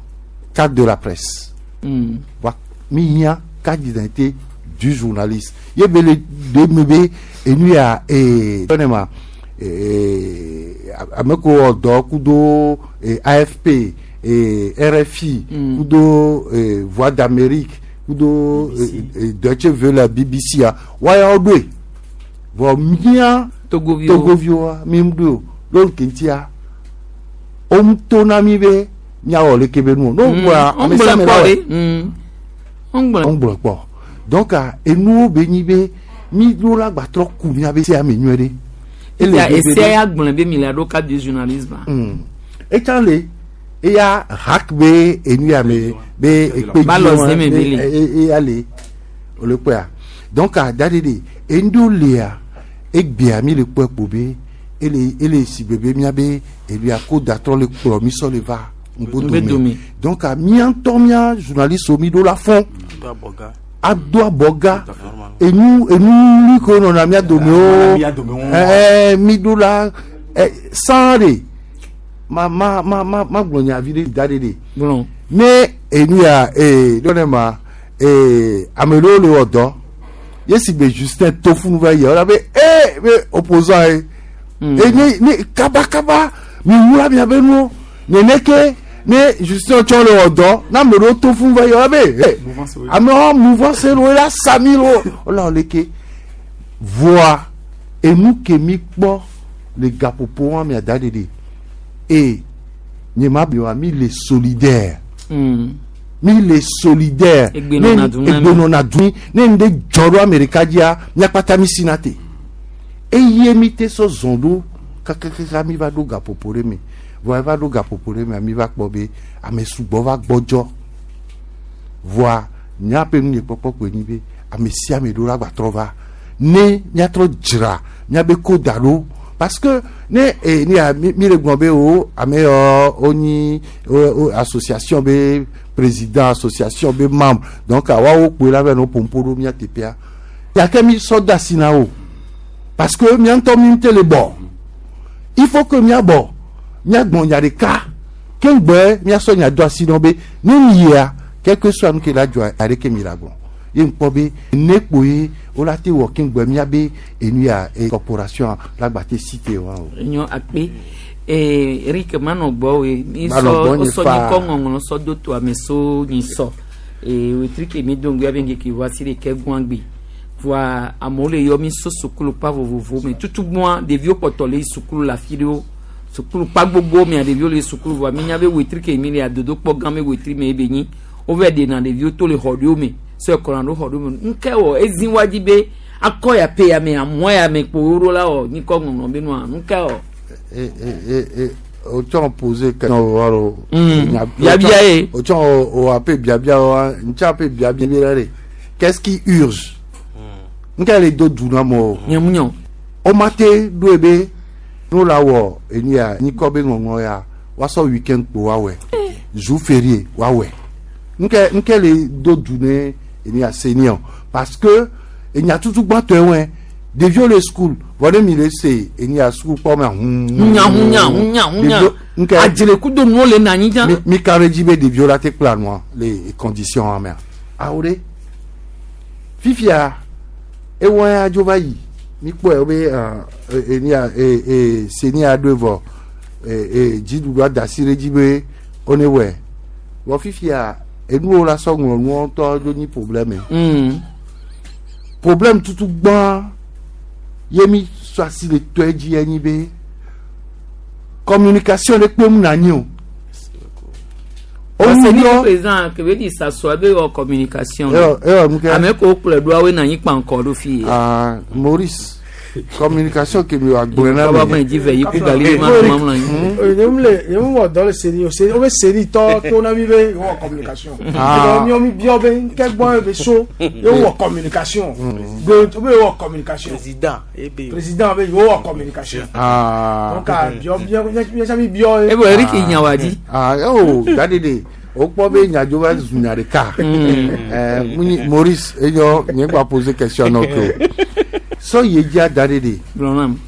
carte de la presse voa mi hiã carte d'identité du journaliste ye be le ɖe me be enu ya ee tɔne ma ee ame ko wɔ dɔ kudo ee A F P ee R F I kudo ee Voix d'Amérique kudo ee ee Deutsche Welle B B C a waya wo ɖoe vɔ mía Togoviwo. Togoviwoa mi ŋu ɖoe o ɖo keŋtia wo ŋu to na mi be míawɔ leke be nu o n'o gbɔa ame sia ame la wɔe ŋgblɔ ŋgblɔ kpɔ donc ah, enuwo be nyi be mi ɖo la gbatrɔ ku míabe sia me nyuie ɖe. Ele Esia veve esia ɖe. ya gblɔ be mi le ɖo carte du journalisme. Mm. Etsã le eya hak be enu ya me be ekpe Ba lɔ zeme be le. eya le o le kpɔa donc a da de de enu lea egbea mi le kpɔe kpo be ele ele si be be míabe enu ya ko datɔ le kplɔ mi sɔ le va Ŋgbo ŋgbo dome. dome donc a mía ŋutɔ mía journaliste mi ɖo la fɔn ado abɔga enu enu li ko nɔna mía dome o Mía dome wo. ɛɛ mi ɖo la ɛ san de ma ma ma ma ma gblɔ nya vi ɖe da ɖe de Gblɔ. ne enu ya ee ɖɔ ne ma ee ame ɖewo le wɔ dɔ ye si be Justin Tofunu va yia wòle be ee be opposant ye e ne ne kabakaba mi wula mia be nuwo neneke ne Justin tsɔ le wɔ dɔ ne ame ɖewo Tofunu va yia wòle be ee amewo mouvance lo la sami lo wòle wɔ leke voa enu ke mi kpɔ le gaƒoƒo wa mia da ɖe de e nye ma bi wa mi le solidaire mi le solidaire. Egbenɔna du na mi. Egbenɔna du mi ne nu ɖe dzɔ ɖo Amerika dzia míakpata mi sina te eye mi te sɔ zɔn ɖo kakakaka mi va ɖo gaƒoƒo ɖe me voa eva ɖo gaƒoƒo ɖe mea mi va kpɔ be ame sugbɔ va gbɔdzɔ voa míaƒe nu nye kpɔkpɔ koe nyi be ame sia ame ɖo la gbatrɔ va ne míatrɔ dzra míabe ko da ɖo parce que ne eh, ne ya mi mi le gblɔ be o ame yɔ wonyi o o association be président association be membre donc woawo kpoe la va nɔ ƒoƒo ɖo mía teƒea gake mi sɔ de asi na wo parce que mía ŋutɔ mi ŋute le bɔ il faut que míabɔ míagbɔn nya ɖeka Ke ŋgbɛ miasɔ nya do asi nɔ be ne mi yia quelque soit nu ke la dzɔa aɖeke mi la gblɔ ye ŋkpɔ be ne kpo ye wola te wɔ ke ŋgbɛ miabe enu ya e corporation la gba te cité wa o. Nyɔ akpe ee Eric manɔ gbɔ we mi Manɔ sɔ gbɔ nye sɔ faa. nyikɔ ŋɔŋlɔ sɔ do to ame so nyi sɔ ee wetri ke mi do ŋgbɛ abe ŋkeke wa si ɖeke gbɔn gbe voa amewo le yɔ mi so sukulu kpa vovovo me tutu gbɔn ɖeviwo kpɔtɔ le yi sukulu le afi ɖewo sukulu kpa gbogbo mea ɖeviwo le yi sukulu voa mi nya be wetri ke mi le adodokpɔ gã me wetri me ebe nyi wova ɖena ɖeviwo to le xɔ ɖewo me sɔ kɔna ɖo xɔ ɖewo me ŋke wɔ ezi wa dzi be akɔ ya pe ya me amua ya me kpo wo la wɔ nyikɔ ŋɔŋlɔ be nua ŋke wɔ. E e e o tsɔ poser question wa o. Mm. Biabia ye. O tsɔ o ape biabia wa ntsa ape biabia bi la de qu'est-ce qui urge? Nke le do du na mo. Nyamunyɔ. O ma te do ebe n'o la wɔ enu ya nyikɔ be ŋɔŋlɔ ya wasɔ weekend kpo wa wɛ jour férié wa wɛ nke nke le do du ne enu ya senior parce que enya tutu gbãtɔ wɛ ɖeviwo le school vɔ ne mi le se enu ya school kpɔ mɛ hun. Hunya hunya hunya hunya. Nke Adzrekudo nuwo le na anyi dza. mi mi ka ɖe dzi be ɖeviwo la te kpla nua le condition wa mea awo ɖe fifia ewɔ ya dzo va yi mi kpɔe wo be ɛ enu ya e e seni ya ɖoe vɔ e e dziɖuɖua da asi ɖe dzi be wo ne wɔe vɔ fifia enuwo la sɔ ŋlɔ nuwo ŋutɔ dzo nyi problème Mm. problème tutu gbã ye mi sɔ asi le tɔe dzi ye nyi be communication ɖe kpem na nyi o. Parce que ni Oyɔ- président kebe di sasɔ ebe wɔ communication. Eyɔ eyɔ nu ke. Ame ko kplɔe ɖoa woe na anyi kpankɔ ɖo fi. Ah, Maurice communication ke mi wa gblɔ na Kaba me dzi ve yi ku gali ma ma mlɔ anyi. Nye mu le nye mu wɔ dɔ le seni o seni o be seni tɔ to na mi be wɔ communication. Ah. Miɔ mi biɔ be nke gbɔn be so ye wɔ communication. Gbe o be wɔ communication. Président ebe. Président be wɔ communication. Ah. Donc a biɔ biɔ nye sa mi biɔ. Ebe Eric Nyawadi. Ah, oh, dadede o kpɔ be nyadzo va zu nya ɖeka. Ɛɛ, munyi Maurice eyɔ nye gba poser question na ke o. Sɔ ye dzia dadede. Gblɔ nam.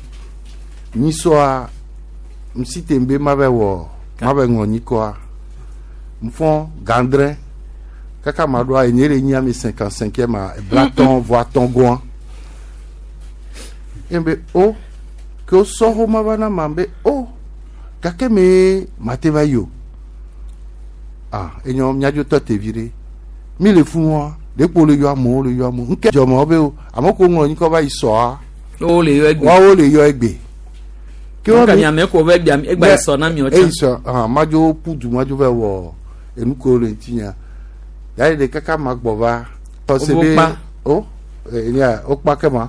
Nyisɔa ŋsi te be ma bɛ wɔ ma bɛ ŋlɔ nyikɔa nfɔ gandrɛ kaka ma ɖoa enye le nyi ame cinquante cinquième a blatɔn voatɔn goa. Ye be o ke o sɔ xɔ ma va na ma be o gake me ma te va yi o. Ah enyɔ miadzo tɔ tevi ɖe mi le fún wa ɖekpo le yɔ amewo le yɔ amewo nke dzɔmɔ be o ame ko ŋlɔ nyikɔ va yi sɔa. Wo le yɔ egbe. Woawo le yɔ egbe. Ke Nka be- mi ame ko ve gbea egba Ne- sɔ na mi eyi ɔtsa. sɔ ah madzo ƒu du madzo va wɔ enuko le ŋuti nya yayi ɖe kaka ma gbɔ va tɔsi Wo be kpa. o enya o kpa ke ma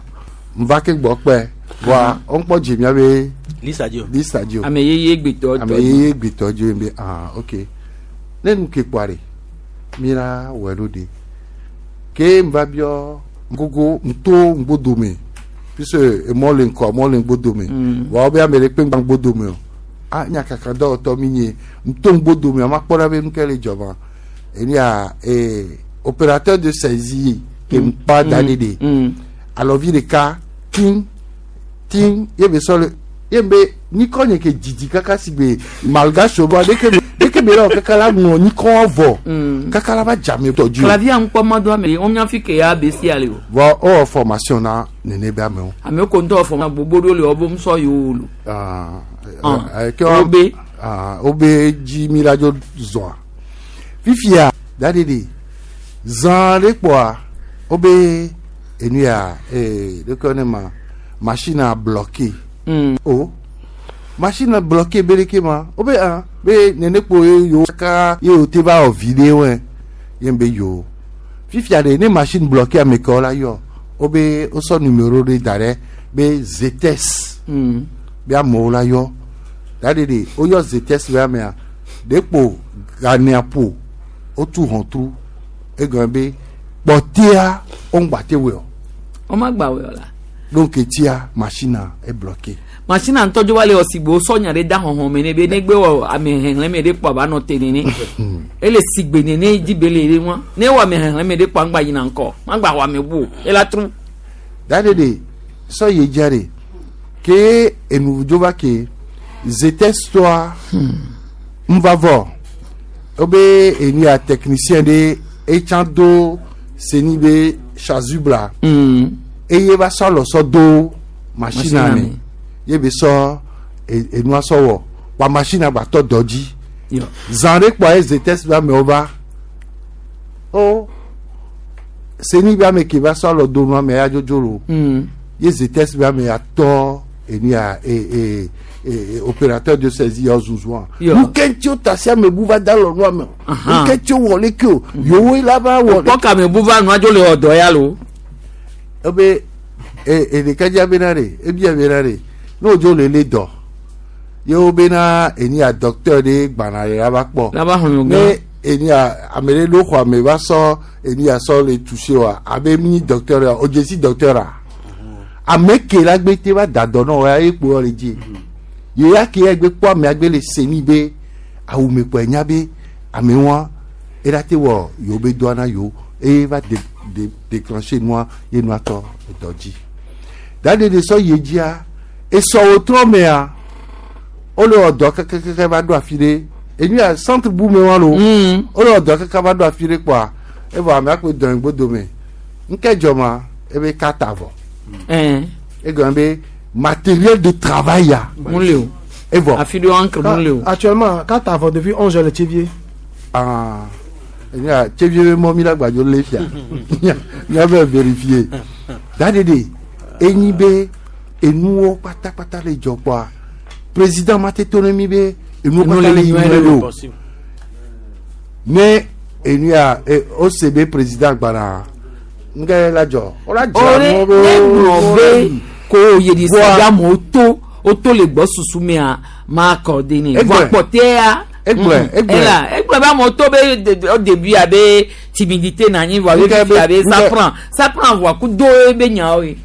nva ke gbɔ kpɛ voa o ŋkpɔ dzi mia be Lisa dzo. lisa dzo Ame yeye gbetɔ ame yeye gbetɔ dzo ye be ah ok ne nu ke kpɔa ɖe mi la wɔe ɖo ɖe ke nva biɔ ŋgogo ŋto ŋgbodome puisque emɔ le ŋkɔ emɔ le ŋgbodome Mm. voa wo be ame ɖe kpe ŋgba ŋgbodome o ah nya kaka dɔwɔtɔ mi nye ŋto ŋgbodome ama kpɔ ɖa be nu ke le dzɔma enia ee opérateur de saisie ke ŋkpa da ɖe ɖe alɔvi ɖeka tin tin ye be sɔ le ye be nyikɔ nye ke didi kaka si be malgache bɔ ɖeke ɖeke be la wɔ kaka la ŋlɔ nyikɔ vɔ kaka la va dzame tɔ dzi o Clavier ŋkpɔ ma do ame wo mia fi ke ya be si ale o. vɔ ewɔ formation na nene be amewo. Ame ko ŋutɔ fɔ ma gbogbo ɖo le wo ŋusɔ yiwo lo. Ah, Ah, eh, ke wa- Obe. ah, obe dzi mi la dzo zɔa fifia daɖeɖe zã ɖe kpɔa wobe enu ya ee ɖeke ne ma machine a bloqué Mm. o machine a bloqué be ɖeke ma wobe ah be nene kpo ye yewo kaka ye o te va wɔ vi ɖe wɔe ye be yo fifia ɖe ne machine bloqué ame kewo la yɔ wobe wosɔ numéro ɖe da ɖe be zetes Mm. be amewo la yɔ daɖeɖe woyɔ zetes be amea ɖekpo ganea ƒo wotu hɔntru egɔme be kpɔtea woŋgba te wɔe o Wo ma gba wɔ la. donc etia machine a e bloqué Machine ŋutɔ dzo va le wɔ sigbe wosɔ nya ɖe da xɔxɔ me ne be negbe wɔ ame xexlẽme ɖe kpɔ aba nɔ te nene. Ele sigbe nene dzi be le ɖe wa. Ne wɔ ame xexlẽme ɖe kpɔ ŋgba yina ŋkɔ. Magba xɔ ame bu o. Ela tru. daɖeɖe sɔ ye dzia ɖe ke enu dzo va ke zetes tɔa ŋva vɔ wobe enu ya technicien ɖe etsã do seni be chasuble eye va sɔ alɔ sɔ do machine Machine me ye be sɔ e- enua sɔ wɔ wa machine gba tɔ dɔ dzi Yo. zã ɖe kpɔa eze test be amewo va o seni be ame ke va sɔ alɔ do nua me ya dzodzo lo ye ze test be ame ya tɔ enu ya e e e opérateur de saisie ya zuzua Yo. nu ke ŋuti wo ta si ame bu va da alɔ nua me o nu ke ŋuti wo wɔ leke o yowoe la va wɔ kpɔ kame bu va nua dzo le wɔ dɔ ya lo. ebe e e ɖeka dzia bena ɖe ebia bena ɖe ne wodzo le le dɔ ye wo bena eni ya docteur ɖe gbana ɖe la va kpɔ La va xlẽ ne gã. eni ya ame ɖe ɖo xɔ ame va sɔ eni ya sɔ le touché wa abe mi docteur ya o dzesi docteur a ame ke la gbe te va da dɔ nɔ ya ye kpo le dzi ye ya ke ya gbe kpɔ amea gbe le seni be awu me kpɔ enya be ame wa ela te wɔ yewo be dɔa na yewo eye va de de déclencher nua ye nua tɔ edɔ dzi dade de sɔ ye dzia esɔwo trɔ mea wole wɔ dɔ kɛkɛkɛkɛ va ɖo afi ɖe enu ya centre bu me wa lo wole wɔ dɔ kɛkɛ va ɖo afi ɖe kpɔa evɔ amea kpe dɔn gbodo me ŋkɛ dzɔ ma ebe kata vɔ egɔme be matériel de travail ya Mun le o. evɔ Afi ɖe encre mun le o. Actuellement, quand t'as depuis onze heures le Tchévier. Ah, enu ya Tchévier be mɔ mi la gbadzo le fia mía bɛ vérifier dade de enyi be enuwo kpatakpata le dzɔ kpɔa président ma te to ne mi be enuwo Enu kpata le le yi nyuie nyuie ɖe ɖo ne enu ya e, o se be président gbana ŋgɛ la dzɔ o la dzra ore nuwo ne gblɔ be ko yedi Voa- si amewo to woto le gbɔ susu mea ma akɔde ne Egblɔe. vɔ akpɔtɛa. Egblɔe, egblɔe. ela egblɔ be amewo to be de- de- au début abe timidité na anyi vɔ abe Ŋkɛ fifi be- abe ça ŋkɛ- prend ça prend vɔ kudo ebe nyawo ye.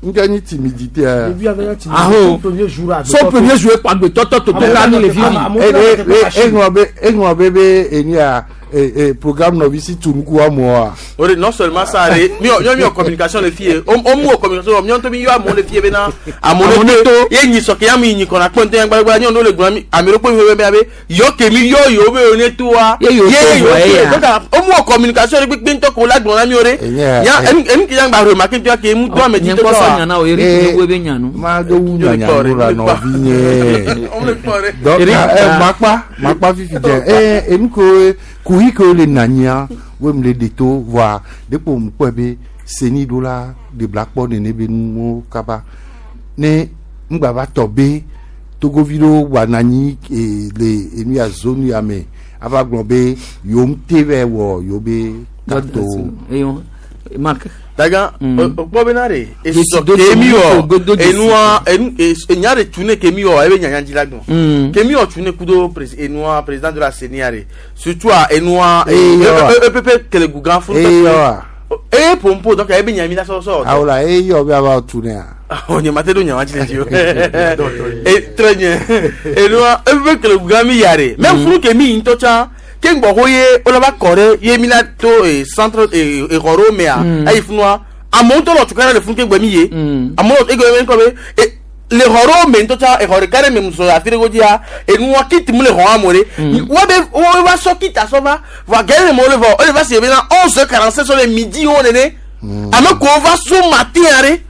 ŋkɛ nyi timidité ya. Début avec la timidité. Aho. Son premier jour à So premier jour kpa gbetɔtɔ toto ka mi le vivi. eŋlɔ be eŋlɔ be be enu ya e e programme nɔvi si tu nuku amewoa. O de non seulement ça de mi mi mi communication le fie o o mu o communication mi to mi yo amo le fie be na amo le to ye nyi so ke ya mi nyi kona pon te ngba ngba nyo no le gbon mi ami ro pe mi be be yo ke mi yo yo be oni to wa Ye yo to vo ye ya. donc o mu o communication le pe nto ko la gbon na mi ore Enye- ya en en ki yang ba remarquer tu ke mu to ame ti Nye to kpɔ sɔ wa nyana o eri Eh, ne wo ebe nyanu. ma do wu nyanyanu la nɔvi nye. donc Eric, eh, ah. makpa makpa fifi dze eh enu ko kuhi ko le nanyia wo mu le de to voa dekpo mu kpɔe be seni ɖo la ɖebla kpɔ nene be nuwo kaba ne ŋgba va tɔ be togovi ɖewo wa nanyi eh, le enu ya zone ya me ava gblɔ be yewo ŋute vɛ wɔ yewo be kato Eyo Marc. daga o gbọ́ bɛ na de Dzesi esɔ do kemi dzesi, wɔ do dzesi. enua enu enya de tu ne kemi wɔ ebe nyanya dzi la gbɔn Mm. kemi wɔ tu ne kudo presi enua président de la CENI de surtout a enua Eye wa. epepe kelegu gan funu eye wa eye pompo donc ebe nyami la sɔsɔ awo la eye yɔ be ava tu nea. o nye ma te do nyama dzi le dzi o e très bien enua epepe kelegu gan mi ya de même funu kemi yi ŋutɔ tsã ke ŋgbɔ ko ye o la va kɔ ɖe ye mi la to eh, centre eh, exɔ ɖewo mea Mm. eyi funua amewo ŋutɔ le tukara le funu ke gbɛ mi ye Mm. amewo ege be ŋkɔ be e le xɔ ɖewo me ŋutɔ tsã exɔ ɖeka ɖe me musɔ afi ɖe godzia enua kiti mu le xɔ amewo ɖe wo be wo va sɔ kita sɔ va vɔa gɛlɛ le me wo le vɔ o le va si be na onze heures quarante cinq sɔ le midi wo nene ame kowo va so matin ya ɖe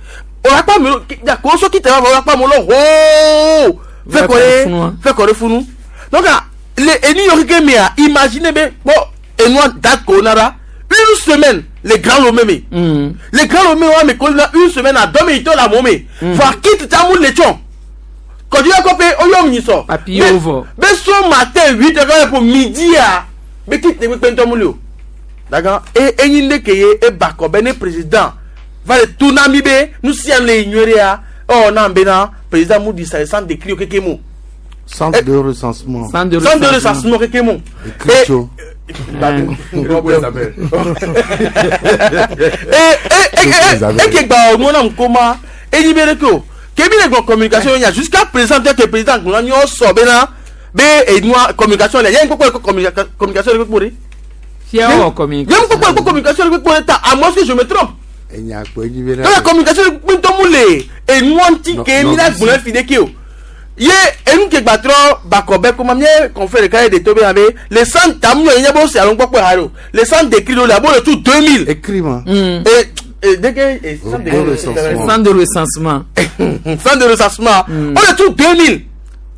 o la kpɔ amewo kowo sɔ kita va vɔ o la kpɔ amewo le hoo fɛ kɔ ɖe Funua. fɛ kɔ ɖe funu donc ah, le enu yɔ keke mea imagine be kpɔ enua date ko na ɖa une semaine le grand lomé me Mm. le grand lomé wa me ko na une semaine a dɔ me yitɔ le amewo me fɔ akiti ta mu le tsɔn kɔdu yɛ kɔ pe oyɔ mi sɔ Papier vɔ. be so matin huit heures quand pour midi a be kiti ne kpekpe ŋutɔ mu le o dagan e enyi ne ke ye e ba kɔ be ne président va le tu na mi be nu sia nu le yi nyuie ɖea ɔ na be na président mu di sa centre de cri keke mu Centre de recensement. Centre de centre de recensement keke mu Écriture. e ke gba ọmọ náà kó ma enyi bẹ ke o kebi le gbɔ communication yẹn jusqu'à présent tẹ ke président gbɔn nyɔ sɔ bẹ na bẹ enua communication lẹ yẹn kpɔkpɔ le communication le kpɔkpɔ de Fia wɔ communication. yẹn kpɔkpɔ le communication le kpɔkpɔ de ta à moins que je me trompe Enya kpɔ edzi be donc la communication le kpɔkpɔ mu le enua ŋuti ke mi la gbɔn fi de ke o Ye enu ke gbatrɔ bakɔbɛ koma mie confrère ɖeka ye de to be abe le centre tamu yɔ nye bo se alo ŋkpɔkpɔ ha do le centre d'écrit do le abo le tu deux mille. Écrit ma. Et et dès que et centre Au recensement. Centre de recensement. Centre de recensement. On le tu deux mille.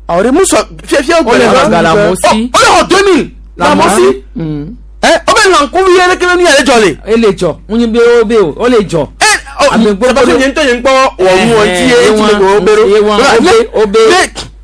Alors muso fiɛ fiɛ O le xɔ Galamosi. O le xɔ deux mille. Lamosi. Ɛ o bɛ lankuvi yɛ ne kele nu yɛrɛ jɔ le. Ele jɔ ŋunyi be o be o o le jɔ. Ɔ parce que nye ŋutɔ nye ŋkpɔ wɔ nu wɔ ŋuti ye eti le ko be ye wọn ɖo. o be o be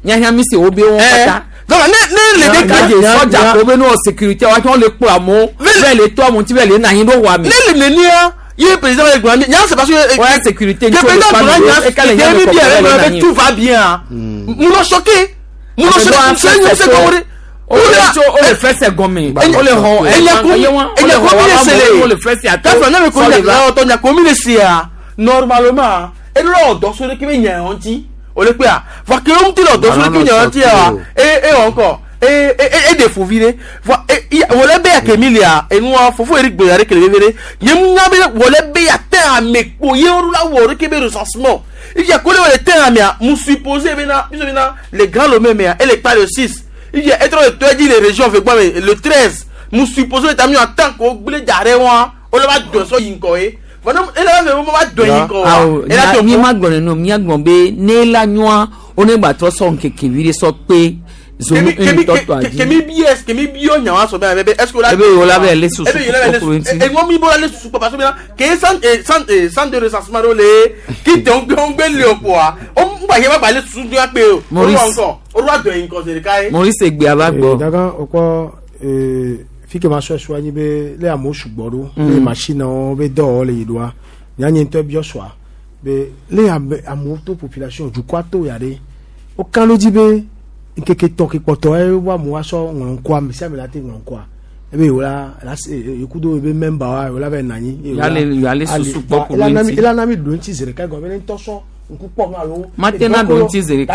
nyahia mi se o be wọn kata. Donc ne ne le de de sɔdza ko be n'o sécurité wa tí wọn le kplɔ amewo bẹ́ẹ̀ le to amewo tí bẹ́ẹ̀ le na anyi ɖo wa mi. Ne le nenia ye président bɛ gbɔn nya c'est parce que. Ouais sécurité que président gbɔn nya sécurité mi bi yɛrɛ gbɔn bɛ tout va bien. Mun lɔ choqué mun lɔ choqué se ɲu se kɔn o le tso o le fɛsɛ gɔmɛ o le xɔ enya ko mi le sele o le fɛsɛ atɔ kafra ne bɛ ko nya ɔtɔ nya ko mi le se ya normalement e lɔ dɔ so de kebe nya yɔn ti o le kpe a va ke o ti lɔ dɔ so de kebe nya yɔn ti ya e e wɔn kɔ e e e de fovi de va e wòle be ya kemi lia enua fofo eri gbe yare kele vevere nye mu nya be wòle be ya tɛ ame kpo ye o la wɔ o de kebe recensement ifia ko le wòle tɛ amea mu supposé bena biso bena le grand lomé mea ele kpa le six ifia etrɔ le tɔ dzi le région fe gbɔ me le treize mu supposé ta mi en tant que gble dza ɖe wa o le va dɔn sɔ yi ŋkɔ ye fana ele va fɛ mo va dɔn yi ŋkɔ wa awo mi ma gblɔ nenu mi gblɔ be ne la nyɔa o ne gba trɔ sɔ nkeke vi de sɔ kpe zonu ŋutɔ adi. Kemi bi es kemi bi yɔ nyawa sɔ bɛ bɛ est ce que ebe yola la bɛ le susu ebe yola bɛ le susu eŋɔ mi bɔra le susu kpɔ parce que ke san san san de recensement ɖo le ki tɛ ŋgbe ŋgbe le o kpoa o ŋgba yɛ ba gba le susu dua kpe o o wa ŋkɔ o wa dɔn yi ŋkɔ zi ɖeka ye. Maurice egbe ava gbɔ. Daga o kpɔ fi ke ma sɔ sɔ anyi be le amewo sugbɔ ɖo le machine wo be dɔwɔwɔ le yi ɖoa nyanye ŋutɔ biɔ sɔa be le ame amewo to population dukɔa to ya ɖe wo kan ɖo dzi be nkeke tɔ ke kpɔtɔ ye wo amewo asɔ ŋlɔ ŋkɔa ame sia ame la te ŋlɔ ŋkɔa ebe yewo la la se yekudo ebe member wa yewo la va nɔ anyi. Yale yale susu kpɔ ku ɖo ŋuti. Ela na mi ɖo ŋuti zi ɖeka gɔme ne ŋutɔ sɔ ŋku kpɔ nu alo. Mate na ɖo ŋuti zi ɖeka.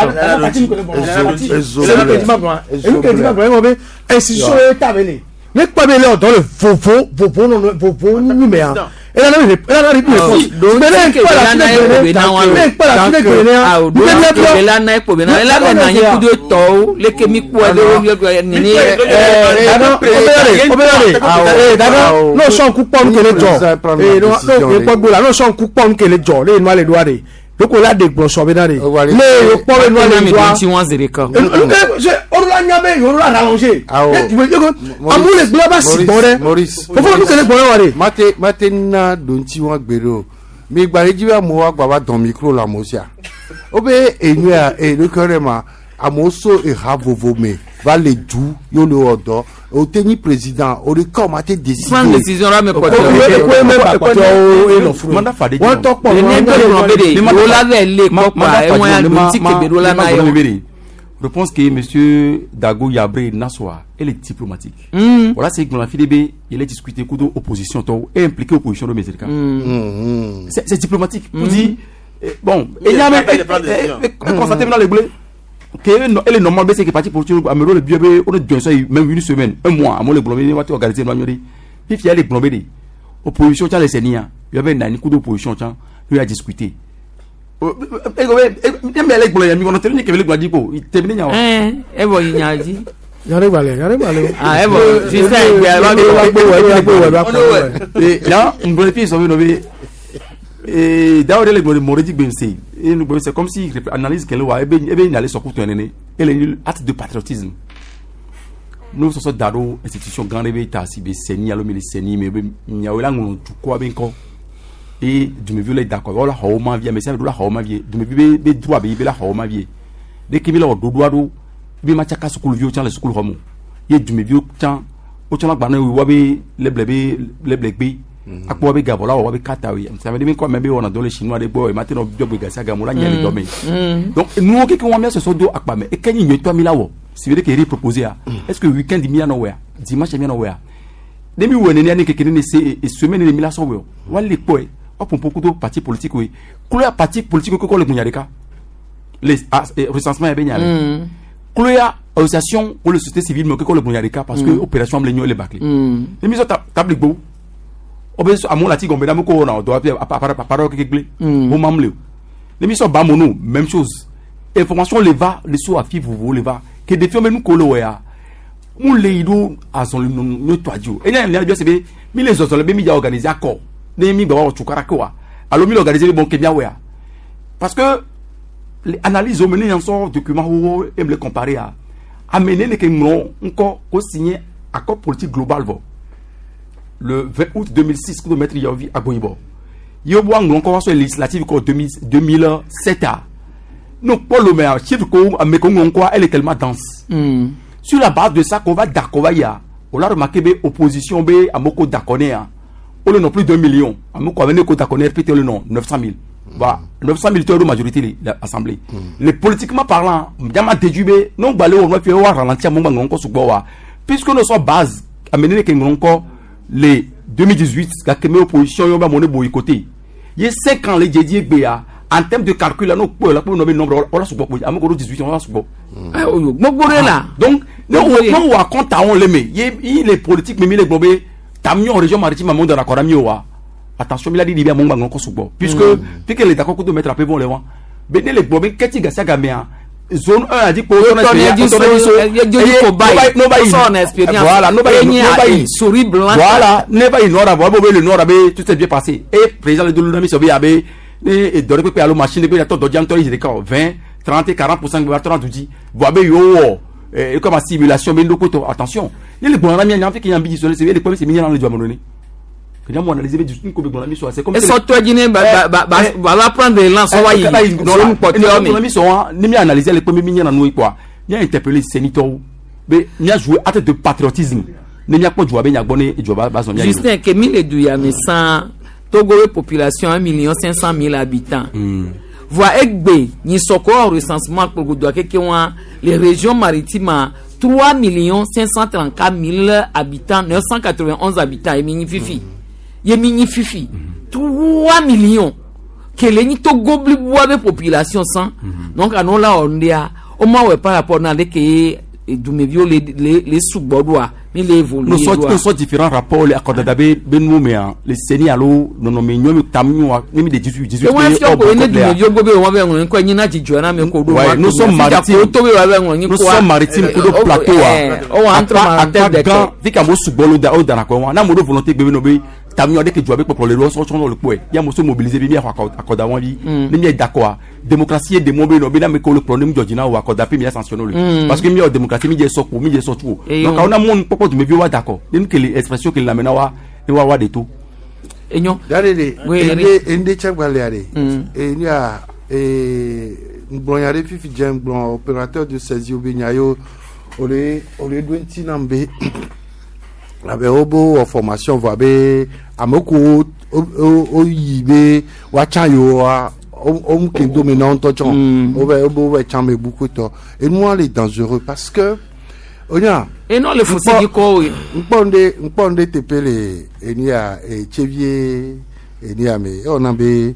Institution ye ta be le ne kpɔ be le ɔdɔ le vovo vovo nɔnɔ vovo numea ela na mi ela na mi réponse mais ne kpɔ la fi ne gbe ne kpɔ la fi ne gbe ne awo do ŋuti la na ekpo be na ela bɛ na anyi kudo tɔwo leke mi kpɔ ɖe nini. Obeyore dada n'o sɔn ku kpɔ nu kele jɔ ee n'o kpɔ gbo la n'o sɔn ku kpɔ nu kele jɔ ne ye nua le doa de loko la de gblɔ sɔ bɛ na de ne ye kpɔ bɛ nua le doa ŋuti wɔn zi ɖeka. olu la nya bɛ yoro la rallongé amu le gblɔ ba si gbɔ dɛ fofo nu kele gbɔ wa de. Mate mate na donti wọn gbe o mi gba ɖe dzi be amewo agba va dɔn micro le amewo sia wobe enyuia eɖokui ɖe ma amewo so eha vovo me va le du ye le wɔ dɔ o te nyi président o de ka o ma te décider. Prendre décision la me kɔtɔ. Wọ́n tɔ kpɔ ne bɛ gblɔ be de yewo la vɛ le kpɔkpɔ ewɔn ya donti kebe ɖo la na yɔ. Je pense que monsieur Dago Yabré Nassoa, elle est diplomatique. Mm. Voilà, c'est que F D B, il est discuté coup d'opposition et impliqué opposition de Mézerka. Mm. C'est c'est diplomatique. Mm. On dit, eh, bon, et il y a même, constaté maintenant les blés, que elle est normale, mais c'est que parti pour Amero le bio, on est ça même une semaine, un mois, à moi le blomé, on va organiser le Puis il y a les blomé, opposition, tiens, les Séniens, il y avait un coup d'opposition, tiens, lui a discuté. Evɔ yi nya dzi. Yàrá ìgbàlẹ̀ yàrá ìgbàlẹ̀ o. Ah evɔ sisan ìgbé ẹ bá gbé wẹ wẹ gbé wẹ bá kọ wẹ. Là ngolo fi sɔmi nɔ be d'ailleurs le gbɔdɔ mɔredi gbɛnse c'est comme si analyse kɛlɛ wa ebe ebe ɲale sɔku tɔ nene ele acte de patriotisme n'o sɔsɔ da do institution gan de bɛ ta si bɛ sɛni alo mi le sɛni mɛ ebe miawo la ŋlɔ dukɔ bɛ ŋkɔ e dumeviwo le dakɔ wala xɔwo ma vie ame sia ame ɖo la xɔwo ma vie dumevi be be droit be yi be la xɔwo ma vie ɖeke bi le wɔ ɖoɖoa ɖo bi ma tsaka sukuviwo tsã le sukuxɔ me o ye dumeviwo tsã wotsɔ la gbalẽ wa be leble be leble gbe akpɔ wa be gabɔ la wɔ wa be kata ye ame ɖe mi kɔ ame be wɔna dɔ le chinois ɖe gbɔ ema te nɔ biɔ gbe gasi game la nya le dɔ me donc nuwo keke wɔn mia sɔsɔ do akpa me eke nyi nyuietɔ mi la wɔ si be ɖe ke ri proposer a est ce que weekend mi anɔ wɔa dimanche mi anɔ wɔa ne mi wɔ nenia ne keke ne ne se semaine ne mi la sɔ wɔ wa le kpɔe wa pɔnpɔn kudo parti politique ye kuloya parti politique kɔkɔ le gunya ɖeka les recensement yɛ bɛ nya le kuloya association ou le société civile mais kɔkɔ le gunya ɖeka parce que opération am le nyɔ le bâclé ne mi sɔ tabli gbo o bɛ sɔ amewo la ti gɔmɛ ɖe ko wɔna dɔ appareil keke gblẽ wo mam le o ne mi sɔ bamono même chose Information le va le so afi vovovo le va ke ɖeviwo be nu ko le wɔ ya mu le yi ɖo azɔli nɔ tɔa dzi o enya nya biɔ se be mi le zɔzɔ le be mi dza organiser akɔ ne mi gba wɔ tukara ke wa alo mi le organiser be bon ke mia wɔ ya parce que les analyses wo me ne yan sɔ document wo e me le comparer a ame ne ne ke ŋlɔ ŋkɔ ko signé accord politique global vɔ le vingt août deux mille six kudo maître Yaovi Agboyibɔ ye wo ŋlɔ ŋkɔ wa sɔ législative kɔ deux mille sept a no kpɔ lome a chiffre ko ame ko ŋlɔ ŋkɔa, elle est tellement dense mm. Sur la base de ça qu'on va d'accord va ya on a remarqué be opposition be amoko d'accord ne ya o le non plus d'un million amoko amene ko d'accord ne R P T le non neuf cent mille, voilà, neuf cent mille de majorité l'assemblée mm. Les politiquement parlant diama déduit be non gbalé o no fi wa ralentir mo ngba ko sugbo wa puisque nous sommes base amené ke ngron ko les deux mille dix-huit ka keme opposition yo ba mo ne boycotter ye cinq ans les dédié gbea en termes de calcul là no po la po no be nombre on la sugbo amoko dix-huit on la sugbo. Gbogbo re la. Donc ne wo no wa compte on le me ye les politiques me mi le gbombe tamion région maritime amonde na kora mi wa attention mi la di bien mon ngba ko sugbo puisque puisque les d'accord de mettre à peu bon les wa be ne le gbombe keti gasia gamea zone un a dit que voilà, souris blanche. Voilà, ne ba nord voilà, le nord avait tout s'est bien passé et président de l'Unami sobi abe ne dore pe alo machine pe to do jam to yi vingt trente quarante pour cent ba trente di bo abe yo et comme simulation mais ndoko attention ni le bon ami en fait qui y a ambi c'est le premier c'est mignon le doit donner que nous analyser du ko be bon ami c'est comme et so to jine ba ba ba va prendre l'élan so wa yi zone porteur mais ami so ni mi analyser le premier mignon nous quoi mi a interpellé sénateur be mi a joué acte de patriotisme ne mi a kpɔ dua be nyagbɔ ne dua ba ba zɔn. Justin ke mi le du ya me san Togo population un million cinq cent mille habitants. Mm. Voa egbe nyisɔkɔ recensement kpogbodoa keke wa les régions maritimes trois millions cinq cent trente-quatre mille habitants neuf cent quatre-vingt-onze habitants yemi nyi fifi yemi nyi fifi trois millions kele nyi Togo bliboa be population san donc anɔ la ɔndia o ma wɛ par rapport na ale ke dumeviwo le le le sugbɔ ɖoa mi le évoluer. Nous sommes nous sommes différents rapports les akɔdada be be nu me han le seni alo nɔnɔme nyɔ mi tam nyɔ ne mi de dix-huit dix-huit. Ewọn fi ọkọ ne dumeviwo gbɔ be wọn bɛ ŋlɔ nkɔ nyina dzidzɔ na mi ko do. Ouais, nous sommes maritimes, nous sommes maritimes kudo plateau wa ɔwɔ entre parenthèses de gan fi ka mo sugbɔ lo da o dana kɔ wa n'a mo do volonté gbebe no be tam nyɔ de ke jɔ be kpɔkplɔ le sɔsɔ sɔsɔ le kpɔɛ ya mo so mobiliser bi mi axɔ akɔda wɔn bi ne mi ye d'accord démocratie ye demo be nɔ be n'a mi ko le kplɔ ne mi jɔ dzina o akɔda pe mi ya sanctionner le parce que mi yɔ démocratie mi jɛ sɔ ko mi jɛ sɔ tu o donc awo na mɔnu kpɔkpɔ dumevi wa d'accord ne nu kele expression kele lamɛnna wa ne wa wa de to. Enyo. Yàrá de ende ende tsɛgbalẽa de enia ŋgblɔ nya ɖe fifi dze ŋgblɔ opérateur de saisie be nya yewo ole ole ɖo ŋuti nam be abe wo be wɔ formation vɔ abe ame ko wo yi be woatsa yewoa wo mu ke dome na wo ŋutɔ tsɔ wo bɛ wo be wo bɛ tsã me buku tɔ enua le dangereux parce que onya. Enɔ le fusi dzi kɔ o. Ŋkpɔ ŋɖe ŋkpɔ ŋɖe teƒe le enia etsevie enia me ewɔna be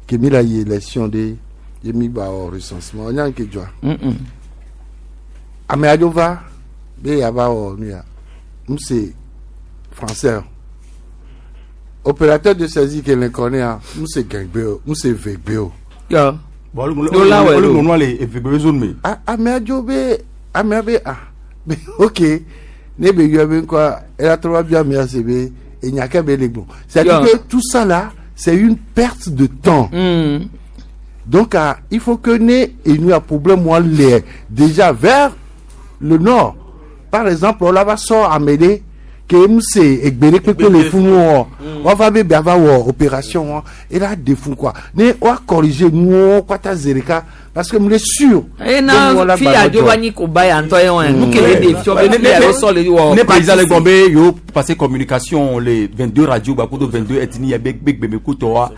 kemi la yi élection ɖe ye mi gba wɔ recensement onya ŋke dzɔa ame aɖewo va be yava wɔ nu ya n se français opérateur de saisie ke le kɔ ne ya n se gɛngbe o n se vegbe o. Olu nɔnɔ le evegbe zone me. Ame aɖewo be amea be ah be ok ne be yɔ be ŋkɔ eya trɔ va bia amea se be enya ke be le gbɔ, c'est-à-dire que tout ça là, c'est une perte de temps. Mm. Donc ah, il faut que ne enu a problème wa le déjà vers le nord par exemple on va sɔ ame ɖe ke emu se egbe ɖe kpekpe le funu wɔ wɔva be bia va wɔ opération wɔn e la de fun quoi ne wa corriger nuwo kpata zi ɖeka parce que mu le sûr. Ena fi adzo va nyi ko ba ya ŋutɔ ye wɔn nu kele de fiɔ be fi ya sɔ le wɔ. Ne président le gbɔn be yo passer communication les vingt-deux radios gbakudo vingt-deux ethnies be be gbeme ko tɔ wa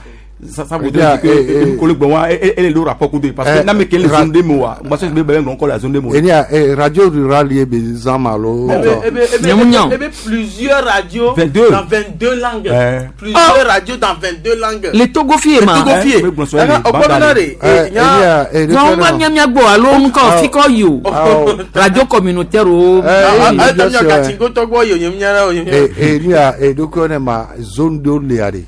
ça ça voudrait dire que kolo gbɔn wa e e le rapport kudo parce que n'a me kele zone de mo wa gbaso be be ŋlɔ kɔ la zone de mo. Enia radio rural ye be zan ma lo. Ebe plusieurs radios vingt-deux. Dans vingt-deux langues. Plusieurs radios dans vingt-deux langues. Le Togo fie ma. Le Togo fie. Ọgbọ́n de. Enia Wọn bá miamia gbɔ alo ŋkɔ fikɔ yi o radio communautaire o. Enia Enia edokɔ ne ma zone do lea de.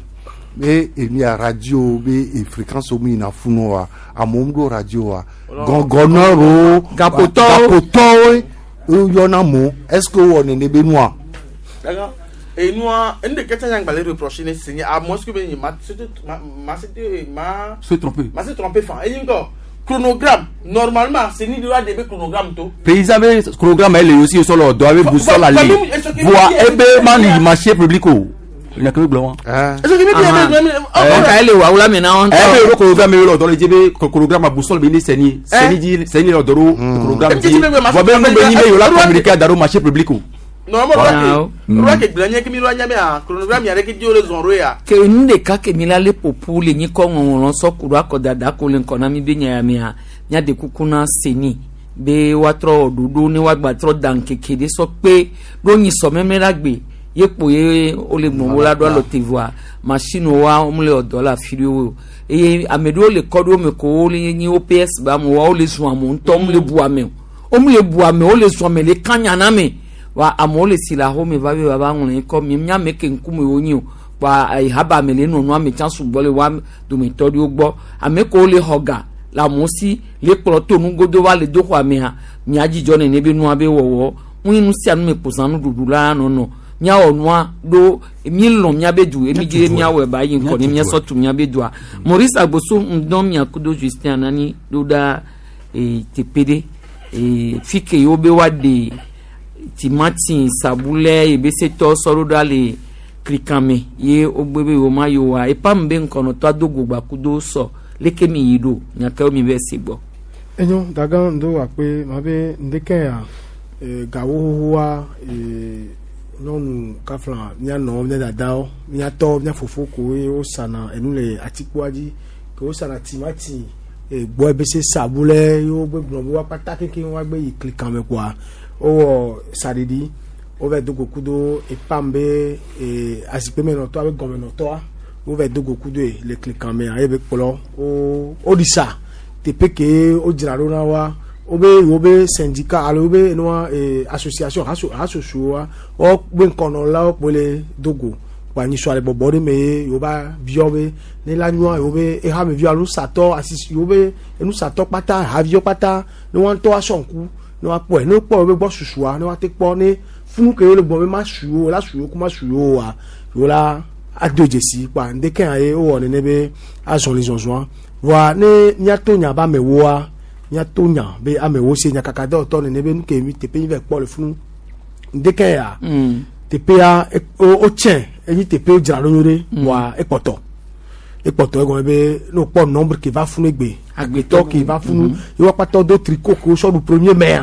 Be emi a radio be e fréquence mi yina funu wa amewo ɖo radio wa gɔngɔnɔro Gapotɔwo. gapotɔwo woyɔna amewo est ce que wowɔ nene be nua. D'accord. Et nous, une des questions que je reprocher, c'est à moi ce que je m'a m'a m'a Se tromper. m'a se trompé fan. Et encore chronogramme normalement c'est ni droit de chronogramme tout. Président be chronogramme ele aussi sɔ le dɔ abe boussole ale voa ebe ma ni marché public o nya ke gblɔ wa. Ɔka ele wa wula mi na wɔn ɛ be yɔrɔ chronogramme yɔrɔ dɔ le dzi be chronogramme boussole be ni sɛni sɛni dzi sɛni yɔrɔ dɔ ɖo chronogramme dzi voa be nu be nyi be yɔrɔ communiquer da ɖo marché public o. Normalement, roi ke gblɔ nye ke mi roi nya be a chronogramme ya ɖe ke di wo le zɔn ɖo ya. Ke nu ɖeka ke mi la le ƒoƒu le nyikɔ ŋɔŋlɔ sɔ ku ɖo akɔdada ko le ŋkɔ na mi be nya ya mea míade kuku na seni be woatrɔ wɔ ɖoɖo ne woagba trɔ da ŋkeke ɖe sɔ kpe ɖo nyi sɔmɛmɛ la gbe ye kpo ye wole gbɔn wo la ɖo alɔ te voa machine wa wo le ɔdɔ le afi ɖewo o eye ame ɖewo le kɔ ɖewo me ko wo le nyi OPS ba amewo wa wole zɔn amewo ŋutɔ wo le bu ame o wo le bu ame wo le zɔn ame le kanya na me wa amewo le si le axome va be va ŋlɔ kɔ mi míame ke ŋkume wo nyi o wa haba ame le nɔnɔ ame tsã sugbɔ le wa dometɔ ɖewo gbɔ ame kewo le xɔ ga le amewo si le kplɔ to nugodo va le do xɔ amea mía dzidzɔ nene be nua be wɔwɔ ŋu nu sia nu me kposa nuɖuɖu la nɔnɔ míawɔ nua ɖo míelɔ̃ míabe du emi dzi míawɔe ba yi ŋkɔ ne míasɔ tu míabe dua Maurice Agboso ŋdɔ miakudo Justin Anani ɖo ɖa ee teƒe ɖe ee fi ke yewo be woaɖe timati sabulɛ ebesetɔ sɔ ɖo ɖa le klikame ye wogbe be yewo ma yi wa epam be ŋkɔnɔtɔ ado gogba kudo sɔ leke mi yi ɖo nyakewo mi bɛ se gbɔ. Enyo daga ndo akpe ma be ndeke ya e, gawo xoxoa e, nyɔnu kafla mía nɔwo mía dadawo mía tɔwo mía fofo koe wosana enu le atikpoa dzi ke wosana timati e, gbɔ ebese sabulɛ ye wogbe gblɔ be woakpata kekeŋ woagbe yi klikame kpoa wowɔ saɖiɖi wova do go kudo epam be e, azikpemenɔtɔa be gɔmenɔtɔa wova do go kudo ye le klikame ye be kplɔ wo woɖi sa teƒe ke wodzra ɖo na wa wobe yewo be syndicat alo wobe enua e, association haso hasosoa wo be ŋkɔnɔlawo kpo le do go kpa nyisɔ le bɔbɔ ɖe me ye yewo va biɔ be ne la nyɔa yewo be ehameviwo alo nusatɔ asisi yewo be enusatɔ kpata haviwo kpata ne woa ŋutɔ asɔ ŋku ne woakpɔe ne wokpɔ yewo be gbɔ susua ne woate kpɔ ne funu ke yewo le gbɔ be ma su yewo la su yewo ko ma su yewo oa yewo la ado dzesi kpa ŋdeke hã ye wowɔ nene be azɔli zɔzɔa voa ne míato nya be amewoa míato nya be amewo se nyakaka dɔwɔtɔ nene be nu ke mi teƒe mi va kpɔ le funu ŋdeke ya teƒea e- wo wotsɛ enyi teƒe wodzra ɖo nyuie ɖe voa ekpɔtɔ ekpɔtɔ egɔme be ne wokpɔ nombre ke va funu egbe agbetɔ ke va funu ye woakpatɔ do tricot ke wosɔ ɖu premier mai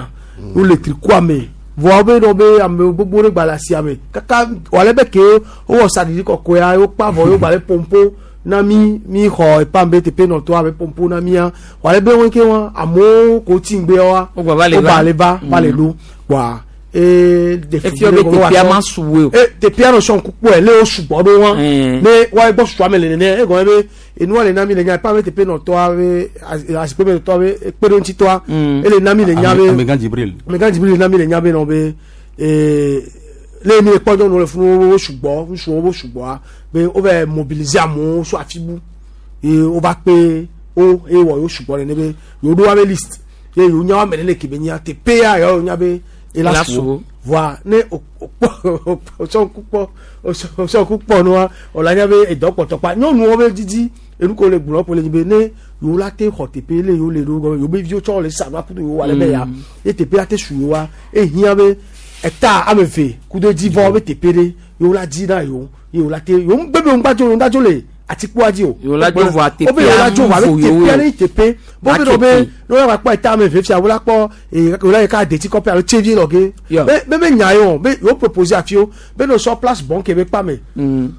wole tricot me voa wobe nɔ be ame gbogbo ɖe gba le asia me kaka wòale be ke wowɔ saɖiɖi kɔkɔea ye wokpa vɔ ye wogba le pompo na mi mi xɔ epam be teƒe nɔtɔa be pompo na mia wòale be wɔn ke wɔn amewo ko tsi ŋgbe wa Wogba va le va. wogba le va va le ɖo kpoa ee Efia be teƒea ma su woe o. e teƒea nɔ sɔn kukpɔe le wo sugbɔ ɖo wa ne wa gbɔ susua me le nene egɔme be enua le na mi le nya epam be teƒe nɔtɔa be azikpe me nɔtɔa be kpeɖeŋutitɔa ele na mi le nya be Amegã Djibril. Amegã Djibril le na mi le nya be nɔ be ee le mi le kpɔ nyɔnuwo le funu wo sugbɔ ŋutsuwo wo sugbɔa be wova mobiliser amewo so afi bu ye wova kpe wo eye wɔ yewo sugbɔ nene be yewo ɖo woabe liste ye yewo nya woame nene ke be nya teƒea yewo nya be ela Ela su su wo wo. voa ne o o kpɔ o sɔ ŋku kpɔ o sɔ ŋku kpɔ nua wòle anya be edɔ kpɔtɔ kpa nyɔnuwo be didi enu ko le gblɔ ƒo le dzi be ne yewo la te xɔ teƒe le yewo le ɖo gɔme yewo be viwo tsɔ le sa nua kudo yewo ale be ya ye teƒe la te su yewoa ehiã be eta ame eve kudo dzivɔ be teƒe ɖe yewo la dzi na yewo ye yewo la te yewo ŋgbe be ŋgba dzo ŋgba dzo le atikpoa dzi o Yewo la dzo vɔa wo be yewo la dzo vɔa teƒea be ŋu vo yewo teƒea o. ne teƒe bo be nɔ be ne wo la kpɔ eta ame eve fia wo la kpɔ ee wo la yi ka detsi kɔƒe alo tsevi lɔ ge be be be nya ye o be yewo proposer afi wo be ne sɔ place bon ke be kpa me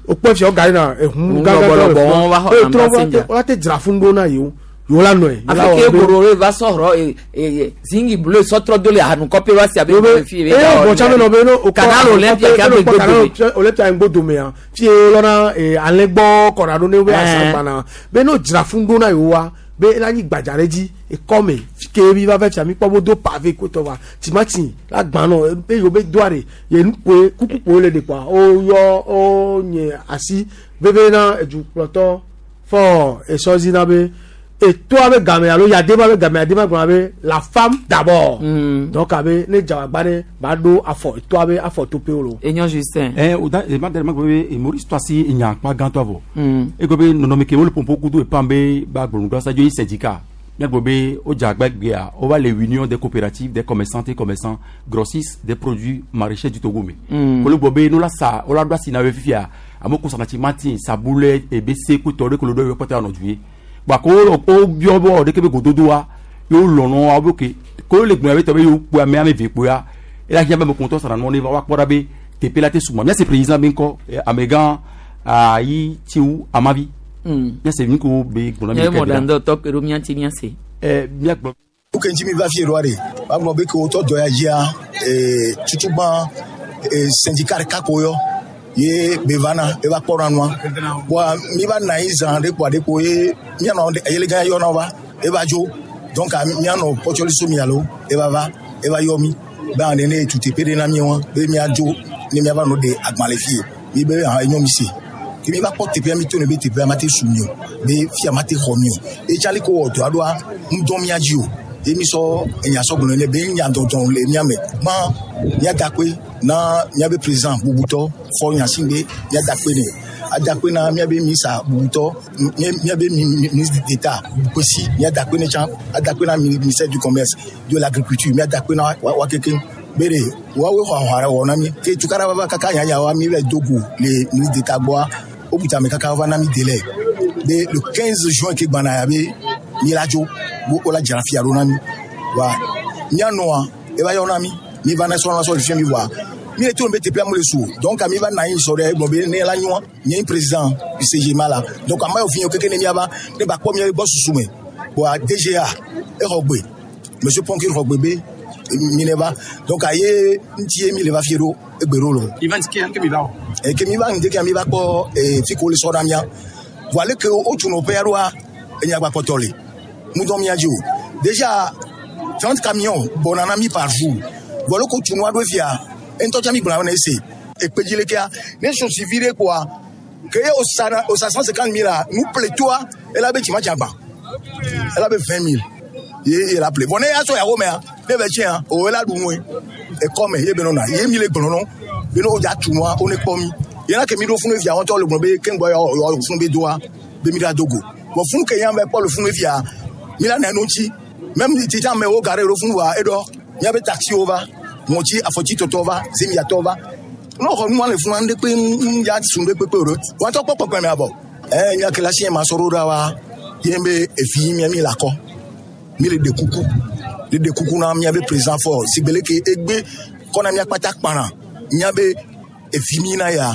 o kpɔ fia wo gari na ehun Ehun gãgã lɔbɔlɔbɔ wɔn va xɔ be na trɔ passenger. wo la te dzra funu ɖo na yewo yewo la nɔe yewo la Afi wɔ ke be- goro re va sɔrɔ ee ee zingi bleu sɔtrɔ do le hanukɔƒe va si abe Yobe fi eye bɔtsa be nɔ be no okɔ Canal Olympia ke abe Canal gbodome. Olympia ŋgbodomea fie lɔna ee alẽgbɔ kɔna ɖo ne wobe Ɛɛ. asagbana be no dzra funu ɖo na yewoa be Be la nyi gbadza ɖe dzi ekɔme ke mi va va fia mi kpɔ bo do pavé kotɔ wa timati la gbã nɔ be yewo be doa ɖe ye nukpoe kukukpoe le ɖe kpoa woyɔ wo nye asi veve na edukplɔtɔ fɔ esɔzi na be etoa be game alo yadema be game yadema gblɔna be la femme d'abord mm. donc abe ne dzawagba ɖe ba ɖo afɔ etoa be afɔ topewo lo. Enyo Justin. Eh, o da ma dere ma gbe be Maurice to asi nya kpa gãtɔ avɔ. Mm. E gbe be nɔnɔme ke wole pompo kudo epam be ba gblɔnu sa dzo yi syndicat. Mia gblɔ be o dze agba gbea o va le union des coopératives des commerçantes et commerçants grossistes des produits maraîchers du Togo me. Mm. Kolo gblɔ be no la sa o la ɖo asi na ye fifia amewo ko sana timati sabulɛ ebese kutɔ ɖe kolo ɖe yɔ kpɔtɛ anɔ du ye. Gbako o biɔ bɔ ɖeke be gododoa yewo lɔnɔ awo be ke ko le gbɔnya be tɔ be yewo kpoa ame ame eve kpoa ela hiã be ame kuntɔ sara nɔ ne va wa kpɔ ɖa be teƒe la te sugbɔ míase président be ŋkɔ amegã ayi tsiwu amavi míase nu ko be gblɔ na mi Nye mɔɖaŋudɔ tɔ ke ɖo míati míase. Ɛ míagblɔ. Nuke ŋuti mi va fie ɖoa ɖe woagblɔ be ke wotɔ dɔ ya dzia ee tutugbã ee syndicat ɖeka ko yɔ ye be vana eva kpɔna nua voa mi va na anyi zã ɖe kpoa ɖe kpo ye mianɔ eyelegã yɔna va eva dzo donc mianɔ kpɔtsɔli so mi alo eva va eva yɔ mi be ane ne tu teƒe ɖe na mi wa be miadzo ne miava nɔ ɖe agbalẽ fie mi be hã enyo mi se ke mi va kpɔ teƒea mi to ne be teƒea ma te su mi o be fia ma te xɔ mi o etsali ko wɔ dɔa ɖoa ŋdɔ mia dzi o ye mi sɔ enya sɔ gblɔ ne be nya dɔdɔ le mia me gbã miadakpe na miabe président bubutɔ fɔ nya si be miadakpe ne adakpe na miabe misa bubutɔ miabe ministre d'état Kwesi miadakpe ne tsã adakpe na ministère du commerce de l'agriculture miadakpe na wa keke be de woawoe xɔ ahɔa wɔ na mi ke tukara va kaka nyanya wa mi va do go le ministre d'état gbɔa wobuta ame kaka va na mi délai be le quinze juin ke gbana ya be mi la dzo bo wola dzra fia ɖo na mi wa mianɔa eva yɔ na mi mi va na sɔ na sɔ fia mi voa mi le to be teƒea mu le su donc mi va na anyi sɔ ɖe egblɔ be ne la nyoa nye président du CGMA la donc ame yiwo fi keke ne miava ne ba kpɔ mia gbɔ susu me boa DGA exɔ gbe monsieur Ponkir xɔ gbe be mi ne va donc aye ŋuti ye mi le va fie ɖo egbe ɖo lo. Event ke ke mi va o. Ke mi va ŋdeke mi va kpɔ fi ko le sɔ na mia voa leke wotsu nɔƒea ɖoa enyagba kpɔtɔ le ŋudɔ mia dzi o déjà trente camions bɔna na mi par jour voa leke wotsu nua ɖo fia ŋutɔ tsa mi gblɔ na ese ekpedzi lekea ne sosi vi ɖe kpoa ke ye osa na osa cent cinquante mille la nu ple toa ela be timati agba ela be vingt mille ye ye la ple vɔ ne ya sɔ yawo mea ne bɛ tiɲɛ o ela ɖu nue ekɔme ye be nɔna ye mi le gblɔ nɔ be ne o dza tu nua wo ne kpɔ mi yena ke mi ɖo funu fia wɔntɔ le gblɔ be keŋgbɔ yɔ yɔ funu be doa be mi ɖa dogo bɔn funu ke yan bɛ kpɔ le funu fia mi la nɛ nu ŋuti même titi amewo gare ɖo funu wa eɖɔ miabe taxiwo va ŋɔtsi afɔtsi tɔtɔ va zemiatɔ va ne xɔ nua le funu ŋɖe kpe ŋu ya sun ɖe kpekpe o ɖo wɔntɔ kpɔ kpɔkpɔ mea bɔ ɛ nya ke la si ma sɔ ɖo ɖa wa ye be evi mia mi la kɔ mi le ɖe kuku le ɖe kuku na miabe président fɔ sigbele ke egbe kɔna mia kpata kpana miabe evi mi na ya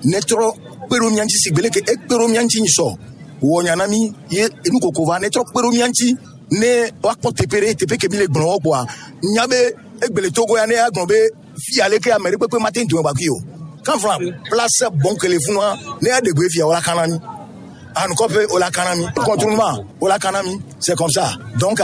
ne trɔ kpe ɖo mia ŋuti sigbele ke ekpe ɖo mia ŋuti nyisɔ wɔ nya na mi ye enu koko va ne trɔ kpe ɖo mia ŋuti ne woakpɔ teƒe ɖe teƒe ke mi le gblɔ wɔ kpoa nya be egbele togo ya ne ya gblɔ be fia leke ame ɖe kpekpe mate ŋu dome gbakui o kanfla place bon ke le funua ne ya ɖe gbe fia wola kana mi anukɔƒe wola kana mi contournement wola kana mi c'est comme ça donc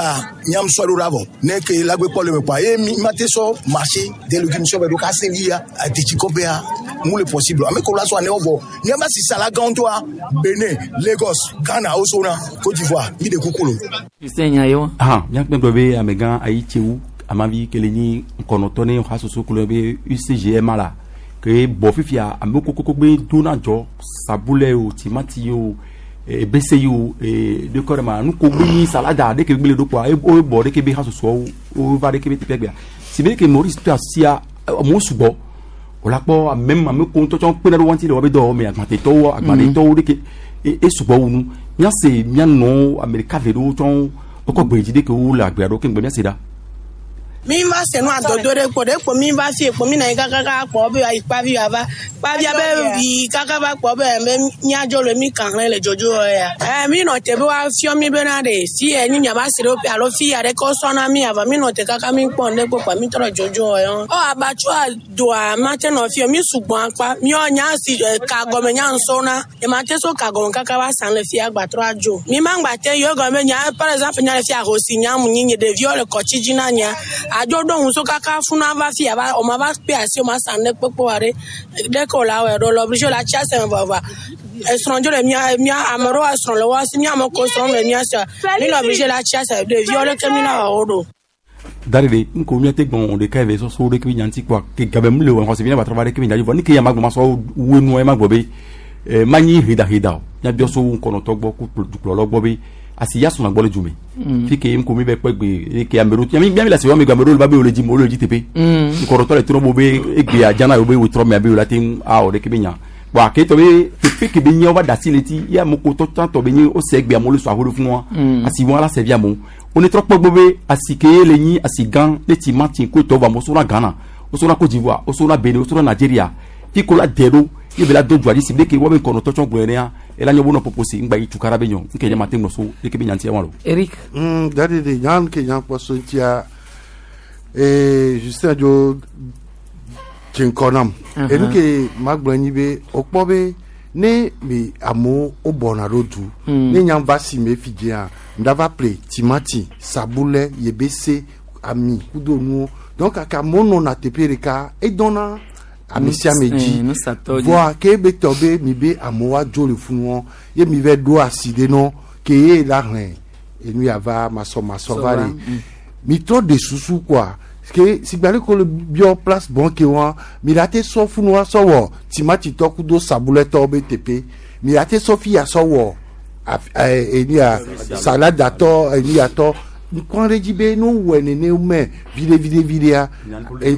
miam sɔ ɖo ɖa vɔ ne ke lagbe kpɔ le me kpoa ye mi mate sɔ marché des légumes sɔ bɛ ɖo kase lia adetsikɔƒea mu le possible ame ko la sɔ anewo vɔ miaba sisa la gãwo ŋutɔa Benin Lagos Ghana wo sona Côte d'Ivoire mi de kuku lo. Justin nya ye wa. Ahan míakpɛ gblɔ be amegã ayi tsewu amavi kele nyi ŋkɔnɔtɔ ne hasoso klo be UCGMA la ke bɔ fifia amewo kokoko be dona dzɔ sabulɛ o timati o ebese yi o ɖekɔ ɖe ma nuko gbe nyi salada ɖeke gbe le ɖo kpoa wo bɔ ɖeke be hasosoawo wo va ɖeke be teƒe gbea si be ke Maurice to asia amewo sugbɔ wòle akpɔ ame ame ko ŋutɔ tsɔ kpena ɖe wo ŋuti le woabe dɔwɔwɔ me agbatetɔwo agbaɖetɔwo ɖeke e sugbɔ wu nu míase míanɔ ame ɖeka ve ɖewo tsɔ wokɔ gbe dzi ɖeke wo le agbea ɖo keŋgbe míase ɖa. Mi va se nu adodo ɖe kpo ɖe kpo mi va fie kpo mi na yi kakaka kpɔ be ayi kpavi ava kpavia be yi kaka va kpɔ be be miadzo le mi kan hlẽ le dzodzo ya. Ɛ mi nɔ te be woafiɔ mi bena ɖe fi yɛ ni miava si ɖe alo fi ya ɖe ke wosɔ na mi ava mi nɔ te kaka mi kpɔ ŋɖe kpo kpa mi trɔ dzodzo yɔ. Ɔ abatsua doa ma te nɔ fie mi sugbɔ akpa miɔ nya si ka gɔme nya ŋsɔna nye ma te so ka gɔme kaka va san le fia gbatrɔ adzo. Mi ma ŋgba te yɔ gɔme nya par exemple nya le fia ahosi nya mu nyi nye ɖeviwo le kɔtsi dzi na nya adzo ɖo ŋu so kaka funa va fia va o ma va kpe asi o ma san ɖe kpekpe wa ɖe ɖe ke o la wɔe ɖo lɔ obligé la tsi aseme vɔvɔa esrɔ̃ dzo le mia mia ame ɖewo esrɔ̃ le woa si mia ame ko srɔ̃ le mia sia mi le obligé la tsi aseme ɖeviwo ɖeke mi la wɔ wo ɖo. Darede nko mi ate gbɔn ɖeka eve sɔsɔ ɖe kebe nyanti kpoa ke gabe mu le wɔ xɔse vi ne ba trɔ va ɖe kebe nyanti vɔ ni ke ya ma gbɔ ma sɔ wu nua ye ma gbɔ be eh, ma nyi hedaheda o miabiɔ so ŋkɔnɔtɔ gbɔ ku dukplɔlɔ gbɔ be asi ya sɔnna gbɔ le dzume Mm. fi ke ŋko mi bɛ kpɛ gbe eke ame ɖewo miami miami le asi wɔme gbe ame ɖewo le va be wo le dzi mo wo le dzi teƒe Mm. ŋkɔnɔtɔ le trɔ bo be egbea dzana yewo be wetrɔ mea be wo la te ŋu awɔ ɖeke be nya bɔn aketɔ be teƒe ke be nye wo va da asi le ti ye ame ko tɔ tsãtɔ be nye wo se egbea amewo le sɔ aho ɖe funua Mm. asi wɔn la se vi amewo wo ne trɔ kpɔ gbɔ be asi ke ye le nyi asi gã ne timati ko tɔ vɔ amewo sɔna Ghana wo sɔna Côte d'Ivoire wo sɔna Benin wo sɔna Nigeria fi ko la dɛ ɖo ye be la do dzoa dzi si be ke wo be ŋkɔnɔtɔ tsɔ gblɔe nea ela nye wo nɔ poposi ŋgba yi tukara be nyɔ nke nye ma te ŋlɔ so eke be nyantia wa lo. Eric. Mm, dadi de nyan ke nyan kpɔ so ŋutia ee Justin dzo dze ŋkɔ nam. Mhm. Enu ke magblɔ nyi be wokpɔ be ne mi amewo wobɔna ɖo du Mm. ne nyam va si me fi dzia ŋɖa va ple timati sabulɛ yebese ami kudo nuwo donc kaka amewo nɔna teƒe ɖeka edɔna ame sia ame Eh, dzi nusatɔ dzi. voa ke be tɔ be mi be amewo adzo le funuɔ ye mi vɛ ɖo asi ɖe nɔ ke ye la hlẽ enu ya va masɔmasɔ va Sɔ va, le mi trɔ de susu quoi ke sigbali ko le biɔ place bon ke wa mi la te sɔ funua sɔ wɔ timati tɔ kudo sabulɛ tɔ be teƒe mi la te sɔ fi ya sɔ wɔ af- ɛ enu ya salada tɔ enu ya tɔ nkɔn ɖe dzi be no wɔ nene me viɖe viɖe viɖea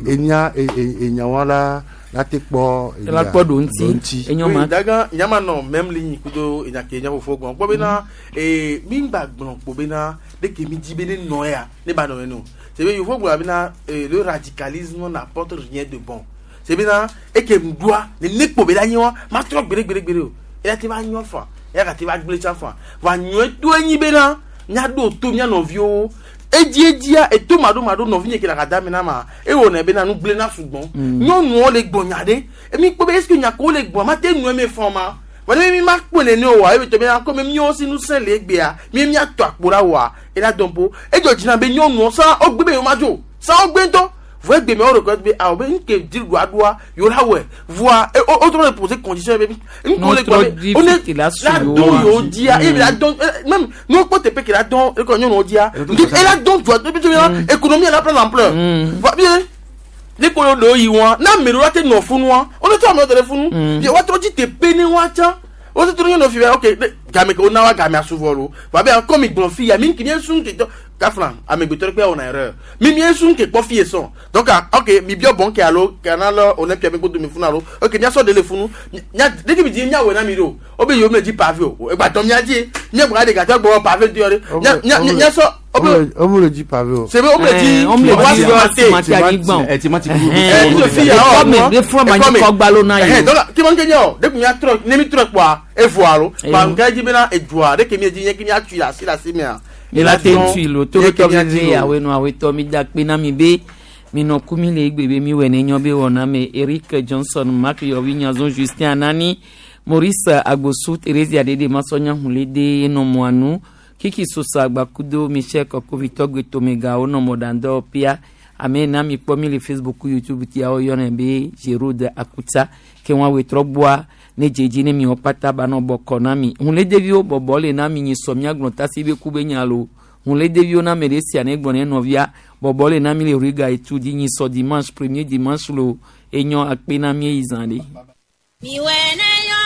enya enyawa la la te kpɔ enu La ya, kpɔ ɖo ŋuti. Enyo ma. Oui, daga nyama nɔ même ligne kudo enya ke nya fofo gbɔn kpɔ bena ee mi gba gblɔ kpo bena de ke mi di be ne nɔ ya ne ba nɔ yɛ no c'est be yofo gblɔ bena ee le radicalisme n'apporte rien de bon c'est bena eke ŋdua ne ne kpo be la nyi wa ma trɔ gbeɖe gbeɖe gbeɖe o eya te va nyɔ fa eya gate va gblẽ tsã fa va nyɔe to enyi bena miaɖo to mia nɔviwo edzi edzia eto maɖo maɖo nɔvi nye ke le agada me na ma ewɔ ne bena nu gblẽ na sugbɔn nyɔnuwo le gbɔ nya ɖe emi kpɔ be est ce que nya ko le gbɔ ma te nu eme fɔ ma vɔ ne mi ma kpɔ nene o wa ebe tɔ bena comme miawo si ŋusẽ le egbea mi miatɔ akpo la wa ela dɔn po edzɔ dzina be nyɔnuwo sa wogbe be yewo ma dzo sa wogbe ŋutɔ vɔ egbe me wo reconnaître be awɔ be nke di ɖoa ɖoa yewo la wɔe voa e o o trɔ le poser condition be nke le gbɔ be o ne la la dɔn yewo dzia eye la dɔn eh, même ne wokpɔ teƒe ke la dɔn ekɔ nyɔnuwo dzia ela dɔn dua ebe tso bena économie la prendre ampleur voa bien ne ko ɖewo yi wa ne ame ɖewo la te nɔ funua wo ne trɔ amewo da ɖe funu bia woatrɔ dzi teƒe ne woatsa wo te trɔ nyɔnu fi bia ok ne game ke wona wa game asuvɔ lo voa bia comme gblɔ fi ya mi ke mie sun ke tɔ kafla amegbetɔ ɖe kpe wɔna erreur mi mie sun ke kpɔ fi ye sɔn donc ah, ok mi biɔ bɔn ke alo kana lɔ olympia mi ko do mi funu alo ok mia sɔ de le funu nya de ke mi di mia wɔ na mi do o be yewo mi le dzi pavé o egba tɔ mia dzi mia gbɔ de gate gbɔ pavé di yɔ de mia mia mia sɔ o be omu le dzi pavé o. c'est vrai, o me le dzi Eh, o me le wa dzi cimenter. cimenter anyigba o. Eh, timati Eh, Ɛhɛn. fi ya Ekɔme, ɖe fún ama nyi kɔgba lo na Eh, yi o. donc kí wọ́n kéde ọ̀ dekun ya trɔ ne mi trɔ kpɔa evoa lo Eh. ba nka dzi bena edua de ke mi dzi nye ke mi atui le asi le asi mea. mi la te ŋutui lo to ɖe tɔ veve awe nu awe tɔ mi da kpe na mi be mi nɔ ku mi le egbe be mi wɔ ne nyɔ be wɔna me Eric Johnson Mark Yɔvi Nyazon Justin Anani Maurice Agbosu Thérésia Dede Masɔnya Hulede enɔ mɔanu Kiki Sosa Agbakudo Michel Kɔkovitɔ Gbetomega wonɔ mɔdandɔ pia ame na mi kpɔ mi le Facebook YouTube tiawo yɔnɛ be Gérard Akuta ke wɔn awe trɔ gbɔa ne dzedzi ne mi wɔ kpata ba nɔ bɔkɔ na mi hunledeviwo bɔbɔ le na mi nyi sɔ miagblɔ tasi be ku be nya lo hunledeviwo na ame ɖe sia ne gblɔ ne nɔvia bɔbɔ le na mi le riga etu di nyi sɔ dimanche premier dimanche lo enyɔ akpe na mi eyi zã ɖe. Miwɛ ne nyɔ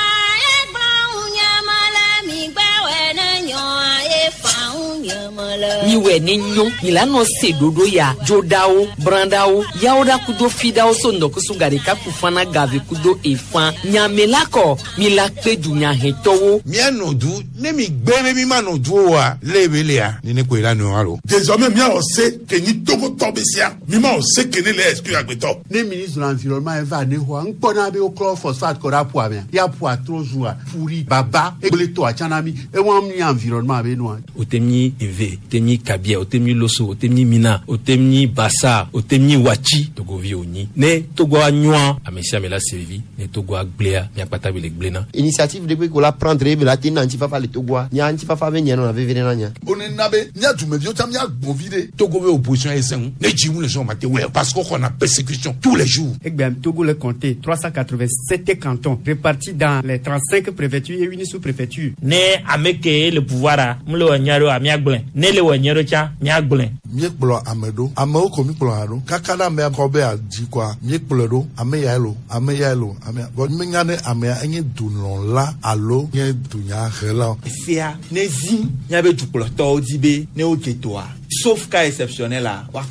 ye gblɔ ŋu nye me le mi gbɛwɛ ne nyɔ ye fa ŋu nye me. Miwɛ ne nyo mi la nɔ se ɖoɖo ya dzoɖawo brãɖawo yawo ɖa kudo fiɖawo so ŋdɔkusu gaɖeka kufana gave kudo efã nyame la kɔ mi la kpe dunyahɛtɔwo. Mianɔ du ne mi gbe be mi ma nɔ du o wa le be lea nene koe la nɔ alo. Désormais miawɔ se ke nyi Togotɔ be sia mi ma wɔ se ke ne le exclure agbetɔ. Ne ministre de l'environnement eva ne xɔa ŋkpɔna be woklɔ phosphate kɔ ɖe aƒua mea ya ƒua trɔ zua ƒuri baba egble tɔa tsã na mi ewa mi environnement be nua. Wote nyi Eve, wote nyi Kabia, wote nyi Loso, wote nyi Mina, wote nyi Bassa, wote nyi Watsi, Togovi wònyi. Ne Togoa nyoa, ame sia ame la se vivi. Ne Togoa gblẽa, miakpata be le gblẽna. Initiative ɖe kpe ko la prendre be la te na ŋutifafa le Togoa. Nya ŋutifafa be nya nɔna veve ɖe na nya. One na be mía dumeviwo tsã míagbɔ vi ɖe. Togo be opposition ye sẽŋu ne dzi ŋu le sɔn ma te wɛ parce qu'on xɔna persécution tous les jours. Egbea Togo le compté trois cent quatre-vingt-sept cantons répartis dans les trente-cinq préfectures et une sous-préfecture. Ne ame ke le pouvoir a mu le wɔ nyuie ɖo míagblẽ ne le wɔ nyuie ɖo tsã míagblẽ. Míekplɔ ame ɖo amewo ko míkplɔ hã ɖo kaka ɖe amea kɔ be adzi kɔa míekplɔe ɖo ame yae lo ame yae lo ame ya vɔ míenya ne amea enye dulɔla alo nye dunyahela. Sia ne zi míabe dukplɔtɔwo di be ne wodze toa sauf cas exceptionnel la wa